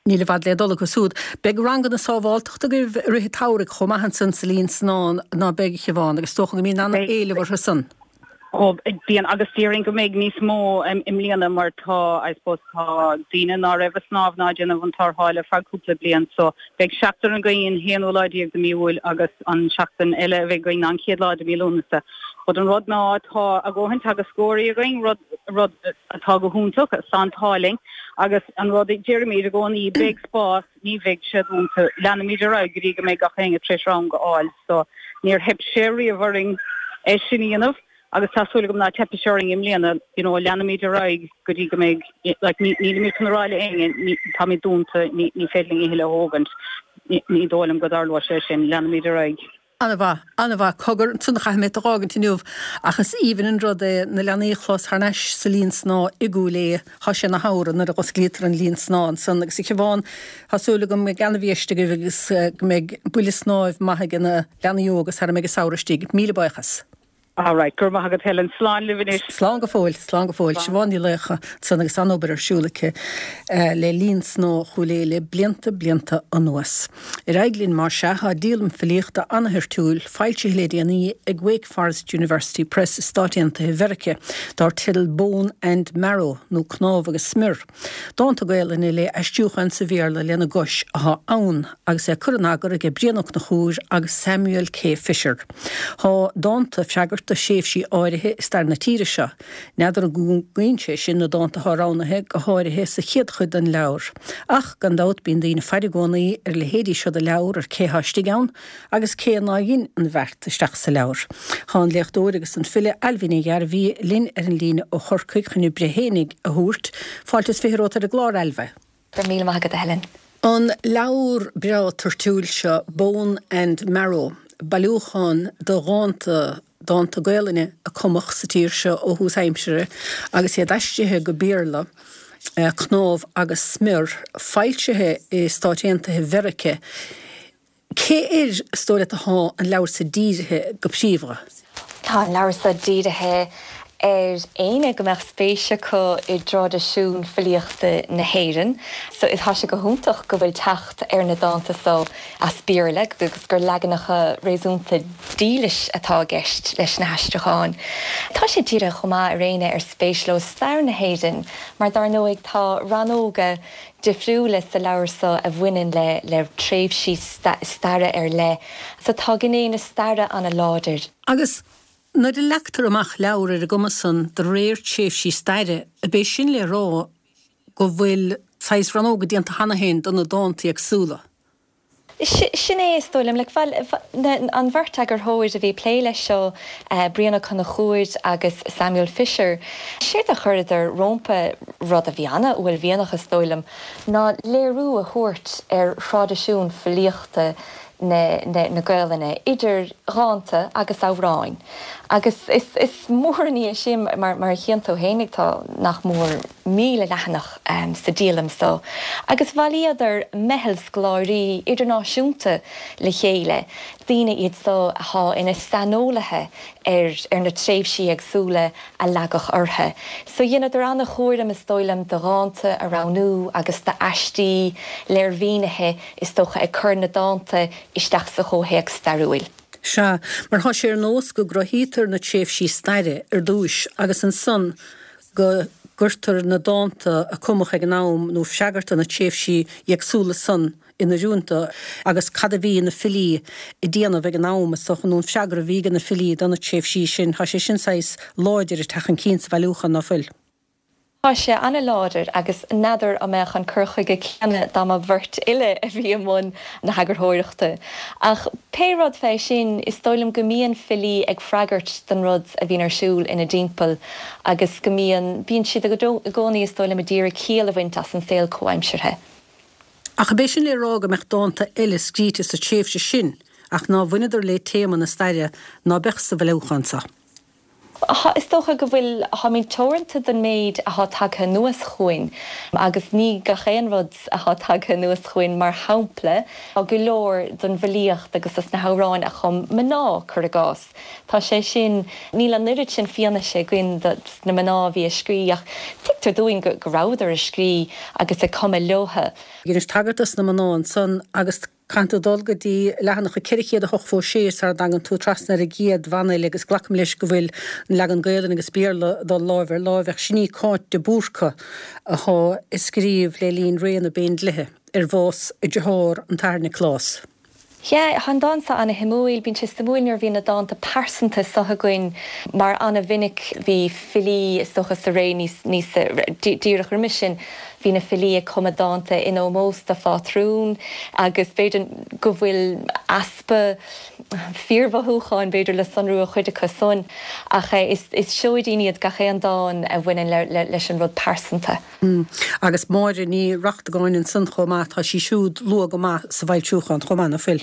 Níl i bhfad le dul acu siúd. Beidh ranganna sábháltachta agaibh i rith an tsamhraidh chomh maith ansan sa linn snámha, ná beidh, a Shiobhán, agus is dócha go mbíonn an-éileamh orthu san. Ó, bíonn, agus déarfainn go mbeidh níos mó i mbliana mar tá, I suppose, tá daoine ná raibh ag snámh ná ag déanamh an tarrtháil ar feadh cúpla bliain so beidh seachtain againn an haonú lá déag de mí Iúil agus an seachtain eile a bheidh againn ná an chéad lá de mí Lúnasa. But an rud ná tá a dhóthain teagascóirí againn, rud, rud atá go hiontach, tá an t-ádh linn agus an rud a deirimid i gcónaí, beidh spás, ní bheidh sé dúnta, leanfaimid ar aghaidh go dtí go mbeidh gach éinne tar éis rang a fháil. So níor theip sé riamh orainn é sin a dhéanamh agus tá súil agam ná teipfidh sé orainn i mbliana, you know, leanfaimid ar aghaidh go dtí go mbeidh, like, ní, nílimid chun a rá le éinne, ní, táimid dúnta, ní, ní féidir linn a thuilleadh a thógaint, ní, ní dóigh liom go dtarlóidh sé sin, leanfaimid ar aghaidh. An-mhaith, an-mhaith. Cogar, ansan caithfidh mé tú a dh'fhágaint inniu, ach is aoibhinn an rud é na leanaí a chlos thar n-ais sa linn snámha i gCúil Aodha. Thá sé ina shamhradh nuair a dh'osclaítear an linn snámha ansan. Agus a Shiobhán, tá súil agam go mbeidh ana-bhiaiste agaibh agus go mbeidh buille snáimh maith age na leanaí óga sara mbeidh an samhradh istigh. Míle buíochas. All right, go raibh maith agat Helen. Slán libh anois. Slán go fóill, slán go fóill. Siobhán Ní Laochdha ansan agus an-obair ar siúl aici le Linn Snámha Chúil Aodha le blianta, blianta anuas. Ar aghaidh linn mar sea, tá díolaim filíochta an-thoirtiúil foilsithe le déanaí ag Wake Forest University Press i Stáit Aontaithe Mheirice dar teideal Bone and Marrow nó Cnámh agus Smior. Dánta Gaelainne le aistriúcháin sa Bhéarla lena gcois atá ann agus é curtha in eagar aige Brian Ó Conchúir agus Samuel K. Fisher. Tá dánta ag freagairt do thréimhsí áirithe i stair na tíre seo. N'fheadar an gcúngaíonn sé sin na dánta atá roghnaithe, go háirithe sa chéad chuid den leabhar. Ach, gan dabht, bíonn daoine ag faire i gcónaí ar a leithéidí seo de leabhar ar cé thá istigh ann, agus cé ná dhein an bheart isteach sa leabhar. Thá an léachtóir agus an file Ailbhe Ní Ghairbhí linn ar an líne ó Chorcaigh chun a breith fhéinig a thabhairt. Fáilte is 20 romhat ar an gclár, Ailbhe. Go raibh míle maith agat, a Helen. An leabhar breá toirtiúil seo, Bone and Marrow, bailiúchán de dhánta, dánta Gaelainne a cumadh sa tír seo ó thús aimsire agus iad aistrithe go Béarla, Cnámh agus Smior, foilsithe i Stáit Aontaithe Mheirice. Cé air is dóigh leat atá an leabhar so dírithe go príomha? Tá an leabhar so dírithe ar éinne go mbeadh spéis acu i dtraidisiún filíochta na hÉireann. So tá sé go hiontach go bhfuil teacht ar na dánta so as Béarla agus gur leaganacha réasúnta dílis atá i gceist leis na haistriúcháin. Tá sé dírithe chomh maith ar éinne ar spéis leo stair na hÉireann mar dar ndóigh tá rannóga difriúla sa leabhar so a bhaineann le le tréimhsí staire ar leith. So tá gné na staire ana láidir. Agus nuair a leagtar amach leabhar ar an gcuma san de réir tréimhsí staire, ab é sin le rá go bhfuil saghas rannóga déanta cheana féin do na dánta éagsúla? Sin é, is dóigh liom. Like, bhuel, an bheirt eagarthóir a bhí ag plé leis seo, Brian Ó Conchúir agus Samuel Fisher, séard a chuireadar rómpa, rud a bhí ana-uaillmhianach, is dóigh liom, ná léiriú a thabhairt ar thraidisiún filíochta na na Gaolainne, idir dhánta agus amhráin. Agus is is mór an ní é sin, mar mar a chíonn tú fhéinig, tá nach mór 1,000 leathanach sa díolaim so, agus bhailíodar meitheal scoláirí idirnáisiúnta le chéile, daoine iad so athá ina saineolaithe ar ar na tréimhsí éagsúla a leagadh orthu. So dheineadar ana-chúram, is dóigh liom, de dhánta a roghnú agus d'aistí, léirmhínithe, is dócha, ag cur na dánta isteach sa chomhthéacs stairiúil. Sea, mar thá sé ar nós go gcruthaítear na tréimhsí staire ar dtúis agus ansan go gcuirtear na dánta a cumadh ag an am nó freagairt do na tréimhsí éagsúla san in oiriúint do agus cad a bhí na filí ag déanamh ag an am, is dócha, nó an freagra a bhí ag na filí do na tréimhsí sin. Tá sé sin saghas láidir ag teacht chun cinn sa bhailiúchán, ná fuil? Tá sé ana-láidir agus n'fheadar an mbeadh an cur chuige céanna dá mba bheirt fhile a bhí i mbun na heagarthóireachta. Ach pé rud fé sin, is dóigh liom go mbíonn filí ag freagairt don rud a bhíonn ar siúl ina dtimpeall agus go mbíonn, bíonn siad i gcónaí, is dóigh liom, a d'iarraidh ciall a bhaint as an saol comhaimseartha. Ach ab é sin le rá go mbeadh dánta eile scríte sa tréimhse sin ach ná bhaineadar le téama na staire ná beadh sa bhailiúchán seo? Is dócha go bhfuil, táimid teoranta don méid athá tagtha anuas chugainn agus ní gach aon rud athá tagtha anuas chugainn, mar shampla, tá go leor don bhfilíocht agus dos na hamhráin a chum mná, cuir i gcás. Tá sé sin, níl an oiread sin fianaise againn dos na mná a bhí ag scrí ach tuigtear dúinn go rabhadar ag scrí agus ag cumadh leotha. Dheinis tagairt dos na mná ansan agus Caithfidh tú dul go dtí leathanach 486 sara dtagann tú trasna ar an gcéad bhanfhile agus glacaim leis go bhfuil an leagan Gaelainne agus Béarla ag dul láimh ar láimh ach sin í Cáit de Búrca athá ag scríobh le linn ré na bPéindlíthe ar bhás a dearthár an tAthair Nioclás. Yeah, tá an dán seo ana-shuimiúil. Bíonn sé suimiúil nuair a bhíonn na dánta pearsanta seo againn mar ana-mhinic bhí filí, is dócha sa ré níos, níos, díreach roimis sin, Bhí na filí ag cumadh dánta in ómós do phátrún agus b'fhéidir go bhfuil easpa fíormhothúcháin, b'fhéidir, le sonrú i chuid acu san ach is seoidín iad gach aon dán a bhaineann leis an rud pearsanta. Agus Máire Ní Reachtagáin ansan chomh maith, tá sí siúd luath go maith sa bhfoilsiúchán chomh maith, ná fuil?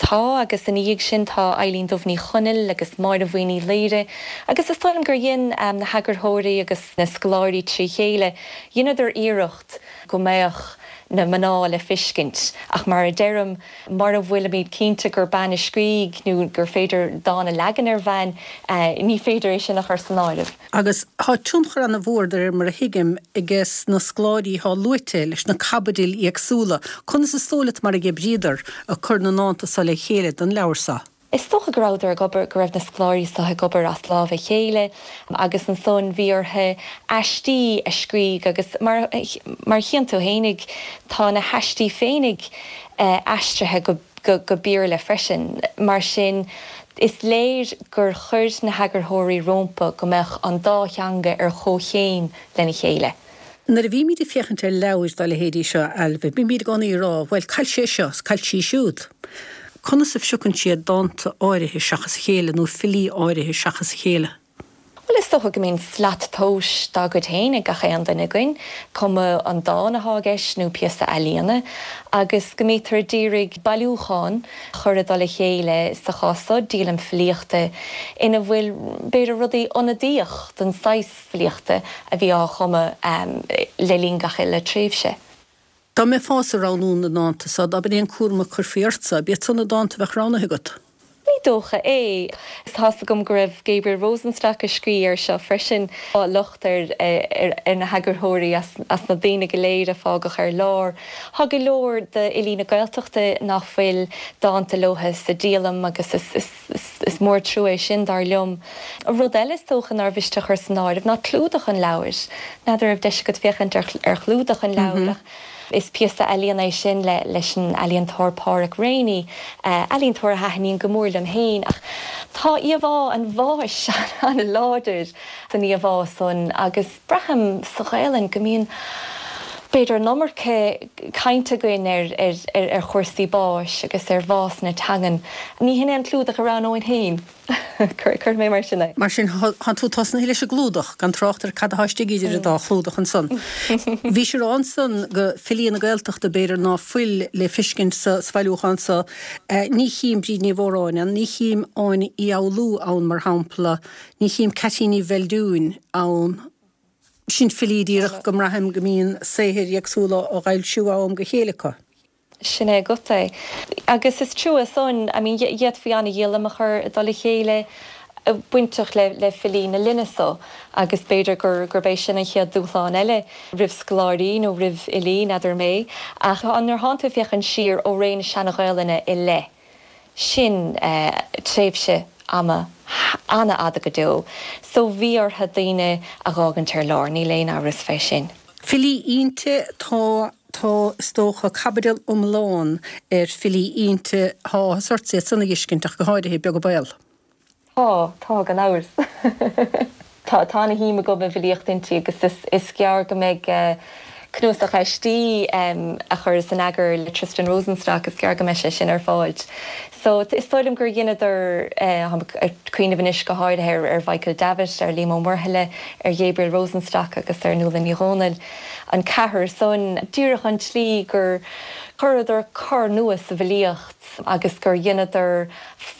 Tá, agus ina dhiaidh sin tá Eilín Dubh Ní Chonaill agus Máire Bhuí Ní Laoire agus is dóigh liom gur dhein na heagarthóirí agus na scoláirí trí chéile, dheineadar iarracht go mbeadh na mná le feiscint. Ach mar a deirim, mura bhfuilimid cinnte gur bean a scrígh nó gur féidir dán a leagan ar bhean, ní féidir é sin a chur san áireamh. Agus thá tionchar ana mhór de réir mar a thuigim ages na scoláirí thá luaite leis na caibidil éagsúla. Conas is dóigh leat mar a dh'oibríodar ag cur na ndánta so le chéile don leabhar so? Is dócha go rabhadar ag obair, go raibh na scoláirí so ag obair as lámh a chéile agus ansan bhí orthu aistí a scrígh agus mar, mar a chíonn tú fhéinig, tá na haistí féinig aistrithe go, go Béarla freisin. Mar sin, is léir gur chuir na heagarthóirí rómpa go mbeadh an dá theanga ar chomhchéim lena chéile. Nuair a bhímid ag féachaint ar leabhair dá leithéidí seo, a Ailbhe, bímid i gcónaí ag rá, bhuel, caill sé seo 's caill sí siúd. Conas a phriocann siad dánta áirithe seachas a chéile nó filí áirithe seachas a chéile? Bhuel, is dócha go mbíonn slat tomhais dá gcuid féin ag gach aon duine againn, cuma an dán athá i gceist nó píosa ealaíona, agus go mbítear a d'iarraidh bailiúchán a chur i dtoll a chéile, sa chás so, díolaim filíochta, ina bhfuil, b'fhéidir, rudaí ionadaíoch don saghas filíochta a bhí á chumadh le linn gach uile tréimhse. Dá mbeifeása ag roghnú na ndánta so, dá b'in é an cúram a chuirfí ortsa, b'iad so na dánta a bheadh roghnaithe agat? Ní dócha é. Tá's agam go raibh Gabriel Rosenstock ag scrí air seo freisin. Tá locht ar ar na heagarthóirí as na daoine go léir a fágadh ar lár. Tá go leor d'fhilí na Gaeltachta nach bhfuil dánta leotha sa díolaim agus is Is mór trua é sin, dar liom. Rud eile is dócha nár mhiste a chur san áireamh ná clúdach an leabhair. N'fheadar raibh deis agat féachaint ar chlúdach an leabhair ach is píosa ealaíona é sin leis an ealaíontóir Páraic Rainey, ealaíontóir a thaitníonn go mór liom féin. Ach tá íomhá an bháis an-láidir san íomhá san agus braithim sa Ghaelainn go mbíonn. B'fhéidir an iomarca cainte againn ar chúrsaí báis agus ar bhás na teangan. Ní hin é an clúdach a roghnóinn féin, cuirfidh mé mar sin é. Mar sin, thánn tú tosnaithe leis an gclúdach, gan trácht ar cad athá istigh idir an dá chlúdach ansan. Bhís ag rá ansan go filí na Gaeltachta, b'fhéidir, ná fuil le feiscint sa bhailiúchán so. Ní chím Bríd Ní Mhóráin ann, ní chím Áine Uí Fhoghlú ann, mar shampla, ní chím Ceaitín Ní Bheildiúin ann. Sin filí díreach go mbraithim go mbíonn saothair éagsúla á bhfoilsiú ó am go chéile acu. Sin é agat é. Agus is trua san, I mean, d'fhéadfaí ana-dhíolaim a chur i dtoll a chéile bainteach le le filí na linne so agus b'fhéidir gur gurb é sin an chéad dúshlán eile roimh scoláirí nó roimh fhilí, n'fheadar mé. Ach nuair thánn tú ag féachaint siar ó ré na Seana-Ghaelainne i leith, Sin tréimhse ama an-fhada go deo so bhí orthu daoine a dh'fhágaint ar lár, níl aon amhras fé sin. Filí Innti, tá, tá, is dócha, caibidil iomlán ar filí Innti, tá áthas ortsa iad san a dh'fheiscint ach go háirithe, beag an baol. Tá, tá, gan amhras. Tá, tá ana-shuim agam i bhfilíocht Innti agus is, is gearr go mbeidh cnuasach aistí a chuireas in eagar le Tristan Rosenstock, is gearr go mbeidh sé sin ar fáilt. So, is dóigh liom gur dheineadar, táim ag cuimhneamh anois go háirithe ar, ar Mhichael Davitt, ar Liam Ó Muirthile, ar Ghabriel Rosenstock agus ar Nuala Ní Dhomhnaill, an ceathrar san, díreach an tslí gur chuireadar cor nua sa bhfilíocht agus gur dheineadar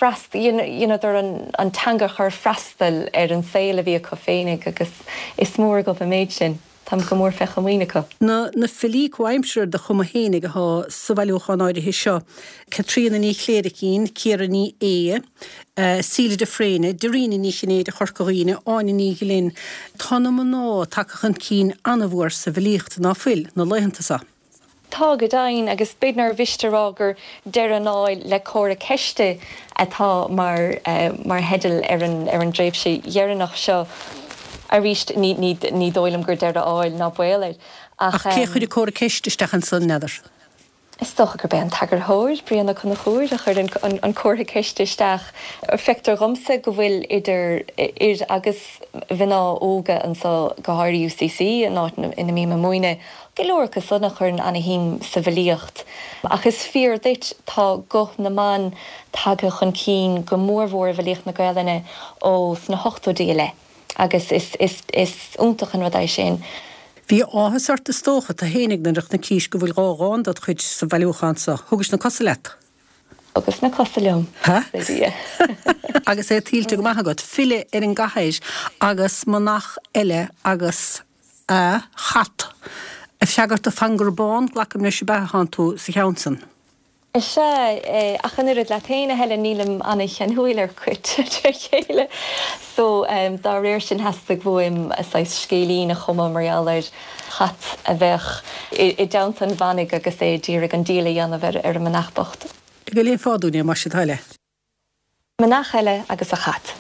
Dheineadar an teanga a chur freastal ar an saol a bhí acu féinig agus is mór agam an méid sin. Táim go mór fé chomaoin acu. Na na filí comhaimseartha de chumadh fhéinig athá sa bhailiúchán áirithe seo, Caitríona Ní Chléiricín, Ciara Ní É, Síle de Fréine, Dairena Ní Chinnéide Chorca Dhuibhne, Áine Ní Ghlinn. Tá na mná tagtha chun cinn an-mhór sa bhfilíocht, ná fuil, na laethanta seo. Tá, go deimhin, agus b'fhéidir nár mhiste a rá gur Deireadh an Áil le Comhartha Ceiste atá mar mar theideal ar an ar an dtréimhse dheireanach seo. Arís, ní ní ní dóigh liom gur deireadh áil ná baol air, ach. Ach cé a chuir an comhartha ceiste isteach ansan, n'fheadar? Is dócha gurb é an t-eagarthóir, Brian Ó Conchúir, a chuir an comhartha ceiste isteach. Feictear dhomsa go bhfuil idir fhir agus mhná óga anso, go háirithe UCC, an áit ina mbím ag múineadh, Go leor acu san a chuireann ana-shuim sa bhfilíocht. Ach is fíor duit, tá guth na mban tagtha chun cinn go mórmhór i bhfilíocht na Gaelainne ó sna hochtóidí i leith agus is is iontach an rud é sin. Bhí áthas ort is dócha, tu fhéinig nuair a chonnaicís go bhfuil dha dhán dod chuid sa bhailiúchán so. Thugais na cosa leat. Thugas na cosa liom, a Dhia. Agus é tuillte go maith agat. File ar an gcathair agus manach eile agus. a chat. Ag freagairt do Phangur Bán, glacaim leis, ab ea a thánn tú sa cheann san? Is ea, ach an oiread leat féin, a Helen, nílim ana-cheanúil ar chait tré chéile. So, dá réir sin, theastaigh uaim saghas scéilín a chumadh mar gheall ar chat a bheadh i dteannta an mhanaigh agus é d'iarraidh an díol a dhéanamh ar an manach bocht. Go léifeá dúinn é, más é do thoil é. Manach eile agus a chat.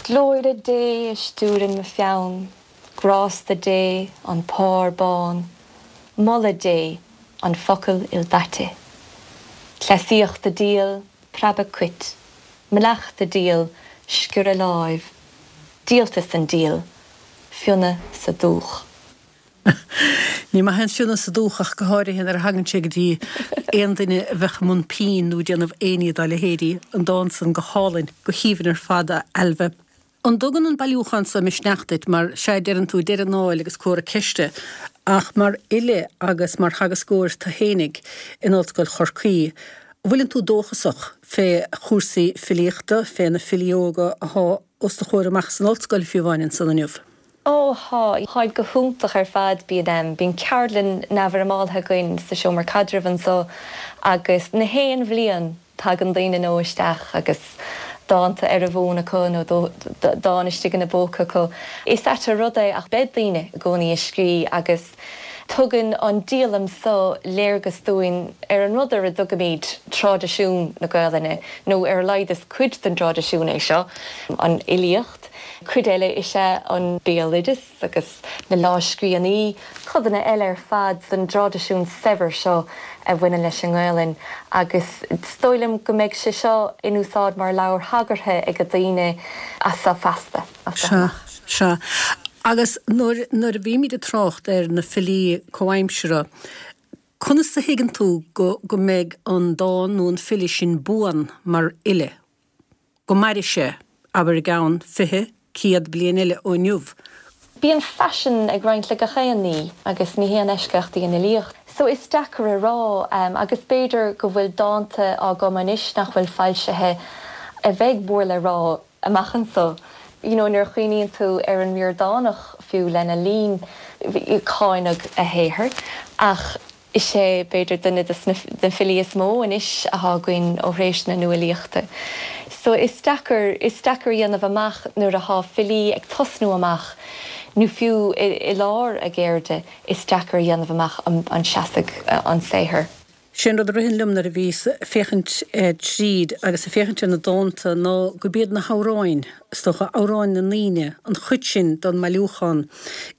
Glóire Dé a stiúrann mo pheann, grásta Dé an pár bán, moladh Dé an focal ildaite. Cleasaíocht a díol, preabadh cait, manach a díol, sciorradh láimh, díoltas an díol, fionnadh sa dúch. Ní maith an fionnadh sa dúch ach go háirithe nuair a thagann sé go dtí aon duine a bheadh i mbun pinn nó ag déanamh aon ní dá leithéidí. An dán san go hálainn, go haoibhinn ar fad, a Ailbhe. An dtugann an bailiúchán so misneach duit, mar, sea, deireann tú, deireadh an áil agus comhartha ceiste, ach mar fhile agus mar theagascóir tu fhéinig in Ollscoil Chorcaí, an bhfuileann tú dóchasach fé chúrsaí filíochta, fé na filí óga athá os do chomhair amach san ollscoil fiú amháin ansan inniu? Ó, thá. Tháid go hiontach ar fad. Bíonn, bíonn ceardlann neamhfhoirmeáltha againn sa seomra caidrimh anso agus na haon bhliain tagann daoine nua isteach agus dánta ar a bhfón acu nó dán istigh ina bpóca acu. Is ait an rud é ach beidh daoine i gcónaí ag scrí agus tugann an díolaim so léargas dúinn ar an rud ar a dtugaimid traidisiún na Gaelainne nó ar a laghad is cuid den dtraidisiún é seo, an fhilíocht. Cuid eile is ea an béaloideas agus na lámhscríbhinní, codanna eile ar fad den dtraidisiún saibhir seo a bhaineann leis an nGaelainn agus is dóigh liom go mbeidh sé seo in úsáid mar leabhar thagartha ag daoine as seo feasta, as seo amach. Sea, sea. Agus nuair, nuair a bhímid ag trácht ar na filí comhaimseartha, conas a thuigeann tú go, go mbeidh an dán nó an file sin buan mar fhile? Go mairfidh sé, abair i gceann 20, 100 bliain eile ó inniu? Bíonn faisean ag roinnt le gach aon ní agus ní haon eisceacht í an fhilíocht. So is deacair a rá agus b'fhéidir go bhfuil dánta á gcumadh anois nach bhfuil foilsithe a bheidh mór le rá amach anso. You know nuair a chuimhníonn tú ar an Ríordánach fiú lena linn, cáineadh a shaothar ach is é b'fhéidir duine de na filí is mó anois athá againn ó thréimhse na nuálaíochta. So is deacair, is deacair a dhéanamh amach nuair athá filí ag tosnú amach nó fiú i lár a gceirde, is deacair a dhéanamh amach an seasfaidh an saothar. Sé an rud a ritheann liom nuair a bhíos ag féachaint tríd agus ag féachaint ar na dánta ná gurb iad na hamhráin, is dócha, amhráin na ndaoine, an chuid sin don mbailiúchán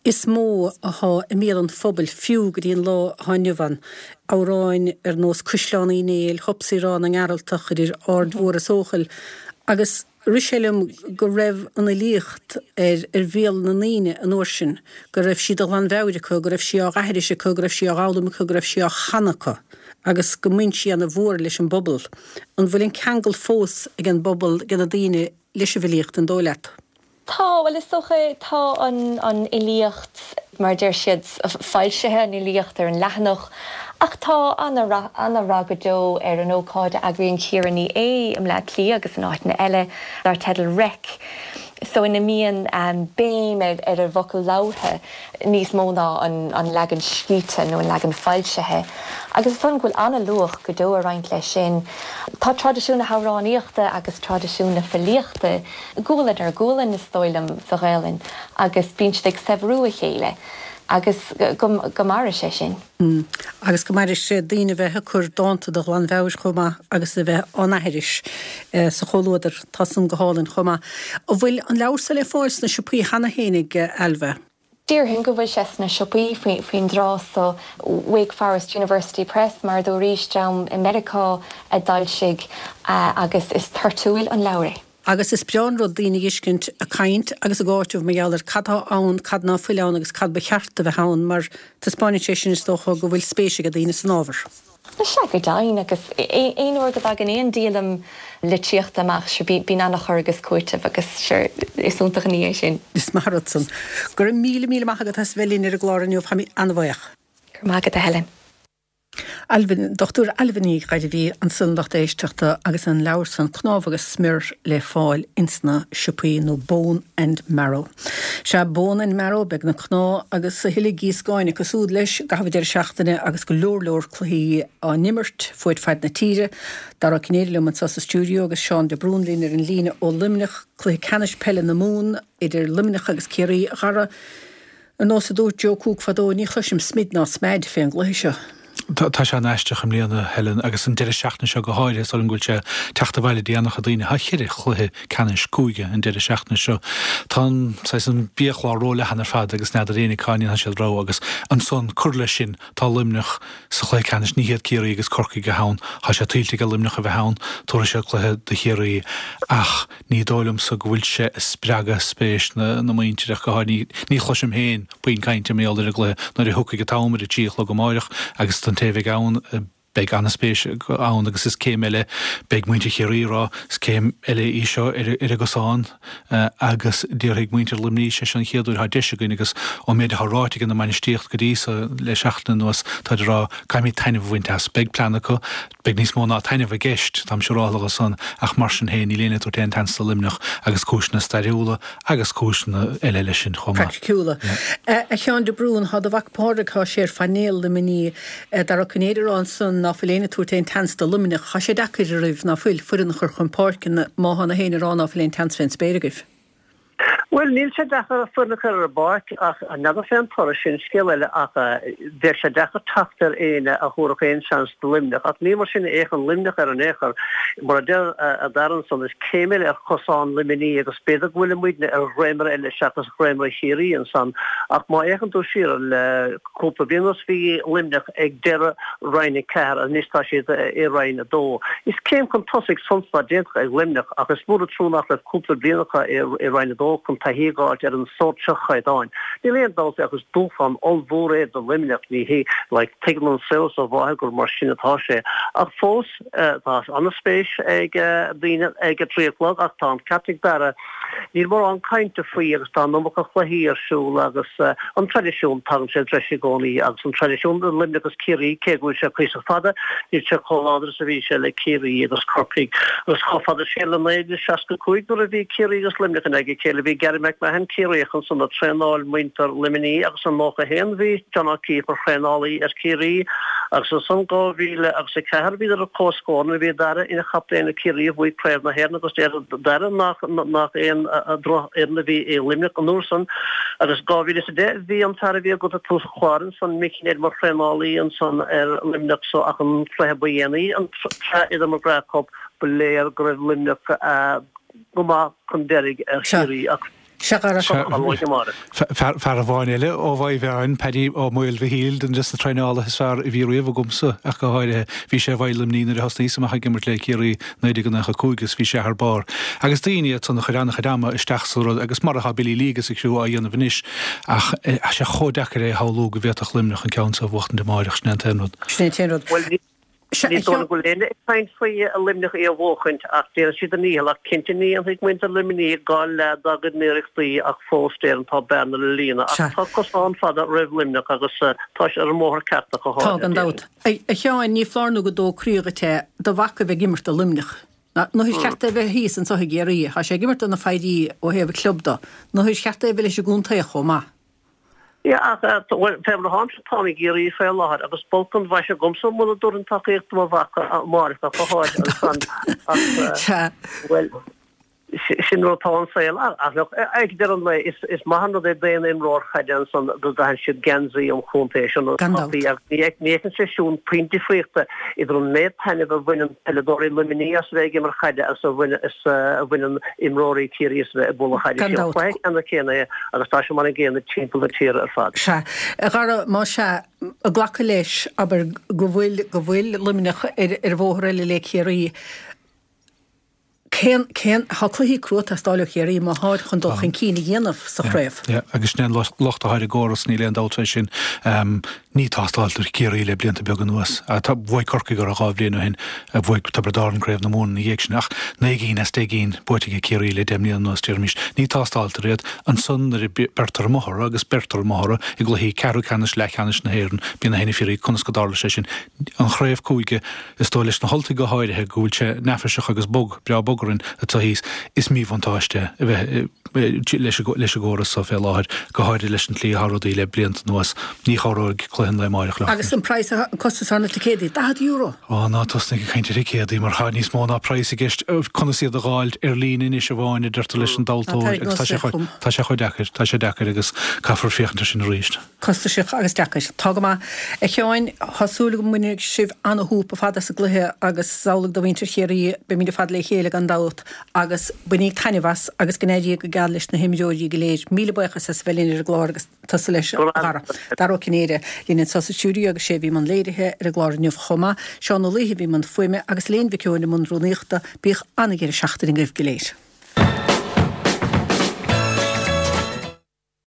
is mó athá i mbéal an phobail fiú go dtí an lá athá inniu ann. Amhráin ar nós Cuisleán Uí Néill, Hopsaí Ráth na nGearaltach, Idir Aird Mhór is Eochaill agus Rith sé liom go raibh an fhilíocht ar ar bhéal na ndaoine an uair sin, go raibh sí de ghlanmheabhair acu, go raibh sí á aithris acu, go raibh sí á dh'fhoghlaim acu, go raibh sí á chanadh acu agus go mbhain sí ana mhór leis an bpobal. An bhfuil an ceangal fós ag an bpobal, ag na daoine, leis an bhfilíocht, an dóigh leat? Tá, bhuel is dócha, tá an an fhilíocht, mar a deir siad, foilsithe, an fhilíocht ar an leathanach, ach tá ana-rath, ana-rath go deo ar an ócáid a eagraíonn Ciara Ní É i mBleá Cliath agus in áiteanna eile, dar teideal Reic, so ina mbíonn béim ar ar an bhfocal labhartha níos mó ná an an leagan scríte nó an leagan foilsithe. Agus is dóigh liom go bhfuil ana-luach go deo ag roinnt leis sin. Tá traidisiún na hamhránaíochta agus traidisiún na filíochta gualainn ar ghualainn, is dóigh liom, sa Ghaelainn agus bíonn siad ag saibhriú a chéile agus go maire sé sin. Agus go maire sé daoine a bheith ag cur dánta de ghlanmheabhair chomh maith agus a bheith á n-aithris sa chomhluadar, tá san go hálainn chomh maith. An bhfuil an leabhar so le fáil sna siopaí cheana fhéinig, Ailbhe? Déarfainn go bhfuil sé sna siopaí faoin dtráth so. Wake Forest University Press, mar a dúraís, dream i Meiriceá a d'fhoilsigh agus is toirtiúil an leabhar é. Agus is breá an rud daoine a dh'fheiscint ag caint agus ag áiteamh mar gheall ar cad tá ann, cad ná fuil ann agus cad ba cheart a bheith ann mar taispeáineann sé sin is dócha go bhfuil spéis ag daoine san ábhar. Sea, go deimhin, agus aon uair go dtagann aon díolaim litríochta amach, sure, bíonn an-chur agus cúiteamh agus, sure, is iontach an ní é sin. Is maith an rud san. Go raibh míle, míle maith agat as a bheith linn ar an gclár inniu, táimid an-bhuíoch. Go raibh maith agat, a Helen. Ailbhe, Dr. Ailbhe Ní Ghairbhí ansan lucht éisteachta agus an leabhar san Cnámha agus Smior le fáil ins na siopaí nó Bone and Marrow. Sea, Bone and Marrow, beidh na cnámha agus a thuilleadh gíoscáin acu súd leis i gcaitheamh an deireadh seachtaine agus go leor leor cluichí á n-imirt fuaid faid na tíre. Dara Ó Cinnéide liom anso sa stiúideo agus Seán de Brún linn ar an líne ó Luimneach, cluiche ceannais peile na Mumhan idir Luimneach agus Ciarraí. A Dhara, Ar nós a dúirt Joe Cooke fadó, ní chloisim smid ná smeaid fén gcluiche seo. Tá sé an-aisteach i mbliana, Helen, agus an deireadh seachtaine seo go háirithe, is dóigh liom go bhfuil sé ag teacht abhaile do an-chuid daoine. Tá cheithre chluiche ceannais cúige an deireadh seachtaine seo. Tá an, saghas, an biachlár róleathan ar fad agus n'fheadar éinne cá ndéanfaidh siad rogha agus ansan, cur leis sin, tá Luimneach sa chluiche ceannais, ní hiad Ciarraí agus Corcaigh atá ann. Tá sé tuillte ag Luimneach a bheith ann, tabharfaidh siad cluiche do Chiarraí ach, Ní dóigh liomsa go bhfuil sé ag spreagadh spéis na muintire ach go háirithe. Ní chloisim féin puinn cainte mar gheall ar an gcluiche nuair a thiocfaidh an t-am ar a trí a chlog amáireach agus don té a bheidh ann beidh an-spéis ann agus is céim eile, beidh muintir Chiarraí ag rá, is céim eile í seo ar an gcosán agus déarfaidh muintir Luimnigh, sé seo an chéad uair atá deis againn agus ón méid atá ráite ag an mbainistíocht go dtí so le seachtain anuas táid ag rá caithfimid taitneamh a bhaint as. Beidh plean acu. Beidh níos mó ná taitneamh i gceist, táim siúráltha dhe san, ach mar sin féin, níl éinne ag tabhairt aon tseans do Luimneach, agus cúiseanna stairiúla agus cúiseanna eile leis sin chomh maith. Praiticiúla. A Sheáin de Brún, thá do mhac Pádraig, thá sé ar phainéal Luimnigh. Dara Ó Cinnéide ag rá ansan ná fuil éinne ag tabhairt aon tseans do Luimneach. Thá sé deacair oraibh, ná fuil, foireann a chur chun páirce má thá na héinne ag rá ná fuil aon tseans fén spéir agaibh. Bhuel, níl sé deacair foireann a chur ar an bpáirc ach n'fheadar fén toradh, sin scéal eile ach bheadh sé deacair teacht ar éinne a thabharfadh aon seans do Luimneach ach ní mar sin a fhéachann Luimneach air in aon chor. Mar a deir Dara ansan, is céim eile ar chosán Luimnigh agus b'fhéidir go bhfuil muidne ar dhréimire eile seachas dhréimire Chiarraí ansan ach má fhéachann tú siar le cúpla bliain anuas bhí Luimneach ag deireadh Roinn 4, anois tá siad i Roinn 2. Is céim chun tosaigh suntasach déanta ag Luimneach ach is mór an trua nach raibh cúpla bliain acu i Roinn 2 chun. taithí a dh'fháilt ar an sórt seo chaighdeáin. Níl aon dabht ach is dúshlán ollmhór é do Luimneach, ní hé, like, tuigeann an saol is a mháthair gur mar sin atá sé. Ach fós, tá an-spéis ag daoine ag a 3 a chlog ach tá an ceart ag Dara, Níl mórán cainte faoi agus tá an iomarca cluichí ar siúl agus an traidisiún, tagann sé treis i gcónaí agus an traidisiún i Luimneach agus Ciarraí, cé go bhfuil sé cuíosach fada, níl sé chomh láidir is a bhí sé le Ciarraí agus Corcaigh. Agus chomh fada siar le 1965 nuair a bhí Ciarraí agus Luimneach in aghaidh a chéile, bhí Gary McMahon, Ciarraíoch ansan ag traenáil muintir Luimnigh agus in 91 bhí John O'Keeffe mar thraenálaí ar Chiarraí agus ansan 2004 bhíodar ar comhscór nuair a bhí Dara ina chaptaen ar Chiarraí a bhuaigh Craobh na hÉireann agus deir Dara nach aon drochfhoireann a bhí i Luimneach an uair san agus 2010 bhí an fear a bhí agat ag tús an chláir ansan, Mickey Ned mar thraenálaí ansan ar Luimneach so ach an cluiche ba dhéanaí, an tsraith idir McGrath Cup, ba léir go raibh Luimneach go maith chun deiridh ar Chiarraí ach Sea, a Dhara. Fear amháin eile ó Mhaigh Mheáin, Paddy Ó Maolmhichíl, duine des na traenálaithe is fearr a bhí riamh agamsa ach go háirithe. Bhí sé i bhFeighil Luimnigh nuair a thosnaíos amach ag imirt le Ciarraí 1995 agus bhí sé thar barr. Agus daoine iad san a chuir an-chuid ama isteach sa rud agus mar atá Billy Lee agus a chriú á dhéanamh anois ach tá sé chomh deacair é a shamhlú go bhféadfadh Luimneach an ceann seo a bhuachtaint amáireach, sin é an t-aon rud. Sin é an t-aon rud. Ní dóigh liom go bhfuil éinne ag caint faoi Luimneach í a bhuachaint ach déanfaidh siad a ndícheall ach cinnte ní dhéanfaidh muintir Luimnigh gan leath dá gcuid n-iarrachtaí ach fós déarfainn tá bearna le líonadh ach tá cosán fada roimh Luimneach agus tá siad ar an mbóthar ceart ach go Tá háirithe gan dabht. A Sheáin, ní foláir nó go dó croí dhuit é do mhac a bheith ag imirt do Luimneach. Nó is ceart é bheith thíos anso i gCiarraí. Tá sé ag imirt do na Foidhrí ó thaobh an chlub do. Nó is ceart é bheith leis an gcontae chomh maith. Yeah, ach, bhuel, fé mar atáimse, táim i gCiarraí fé láthair agus b'olc an mhaise agamsa muna dtabharfainn tacaíocht do mo mhac amáireach ach go háirithe ansan ach, bhuel, sin rud atá an saol. Ach, look, ag deireadh an lae, is maith an rud é d'aon imreoir caide ansan go gcaitheann siad geansaí an chontae sin Gan dabht. agus ní fheiceann sé siúd puinn difríochta idir an méid taitnimh a bhaineann peileadóirí Luimnigh as a bheith ag imirt chaide agus a bhaineann imreoirí Chiarraí as a bheith ag bualadh chaide. Gan Is é an dabht. cluiche ceannann céanna é agus tá sé mar an gcéanna timpeall na tíre ar fad. Sea. A Dhara, más ea, ag glacadh leis, abair, go bhfuil, go bhfuil Luimneach ar ar bhóthar eile le Ciarraí, cén, cén, tá cluichí crua ag teastáil ó Chiarraí má tháid chun dul chun cinn a dhéanamh sa chraobh. Yeah, agus sin é an locht atá ar an gcóras, níl aon dabht fé sin. Ní tástáiltear Ciarraí le blianta beaga anuas. Bhuaigh Corcaigh orthu 2 bhliain ó shin, bhuaigh Tiobraid Árann Craobh na Mumhan ina dhiaidh sin, ach 9 gcinn as 10 gcinn buaite aige Ciarraí le 10 mbliana anuas, déarfaimis. Ní tástáiltear iad. Ansan nuair a beirtear amuigh orthu, agus beirtear amuigh orthu i gcluichí ceathrú ceannais, leathcheannais na hÉireann, bíonn a fhios ag conas go dtarla sé sin. An chraobh cúige, is dóigh leis na hUltaigh go háirithe go bhfuil sé neafaiseach agus bog, breá bog orainn atá thíos. Is míbhuntáiste a bheith leis an gcóras so fé láthair, go háirithe leis an tslí atá rudaí le blianta anuas. Ní chabhróidh cluiche an lae amáireach leo. Agus an praghas, an costas ar na ticéadaí, €40! Á, ná tosnaigh ag caint ar thicéadaí mar tá níos mó ná praghas i gceist. Conas iad a dh'fháilt ar líne anois amháin, a deirtear leis an dtomhaltóir agus tá sé chomh, tá sé chomh deacair, tá sé deacair agus caithfear féachaint air sin arís. Costasach agus deacair. Tá go maith. A Sheáin, tá súil agam go mbainfidh sibh ana-shúp ar fad as an gcluiche agus is amhlaidh do mhuintir Chiarraí. Beimid ar fad le chéile gan dabht agus bainíg taitneamh as agus go n-éirí go geal leis na himreoirí go léir. Míle buíochas as a bheith linn ar an gclár agus tusa leis, a Dhara. Dara Ó Cinnéide linn anseo sa stiúideo agus sé a bhí i mbun léirithe ar an gclár inniu chomh maith. Seán Ó Laoithe a bhí i mbun fuaime agus Elaine Mhic Eoin i mbun rúnaíochta. Bíodh ana-dheireadh seachtaine agaibh go léir.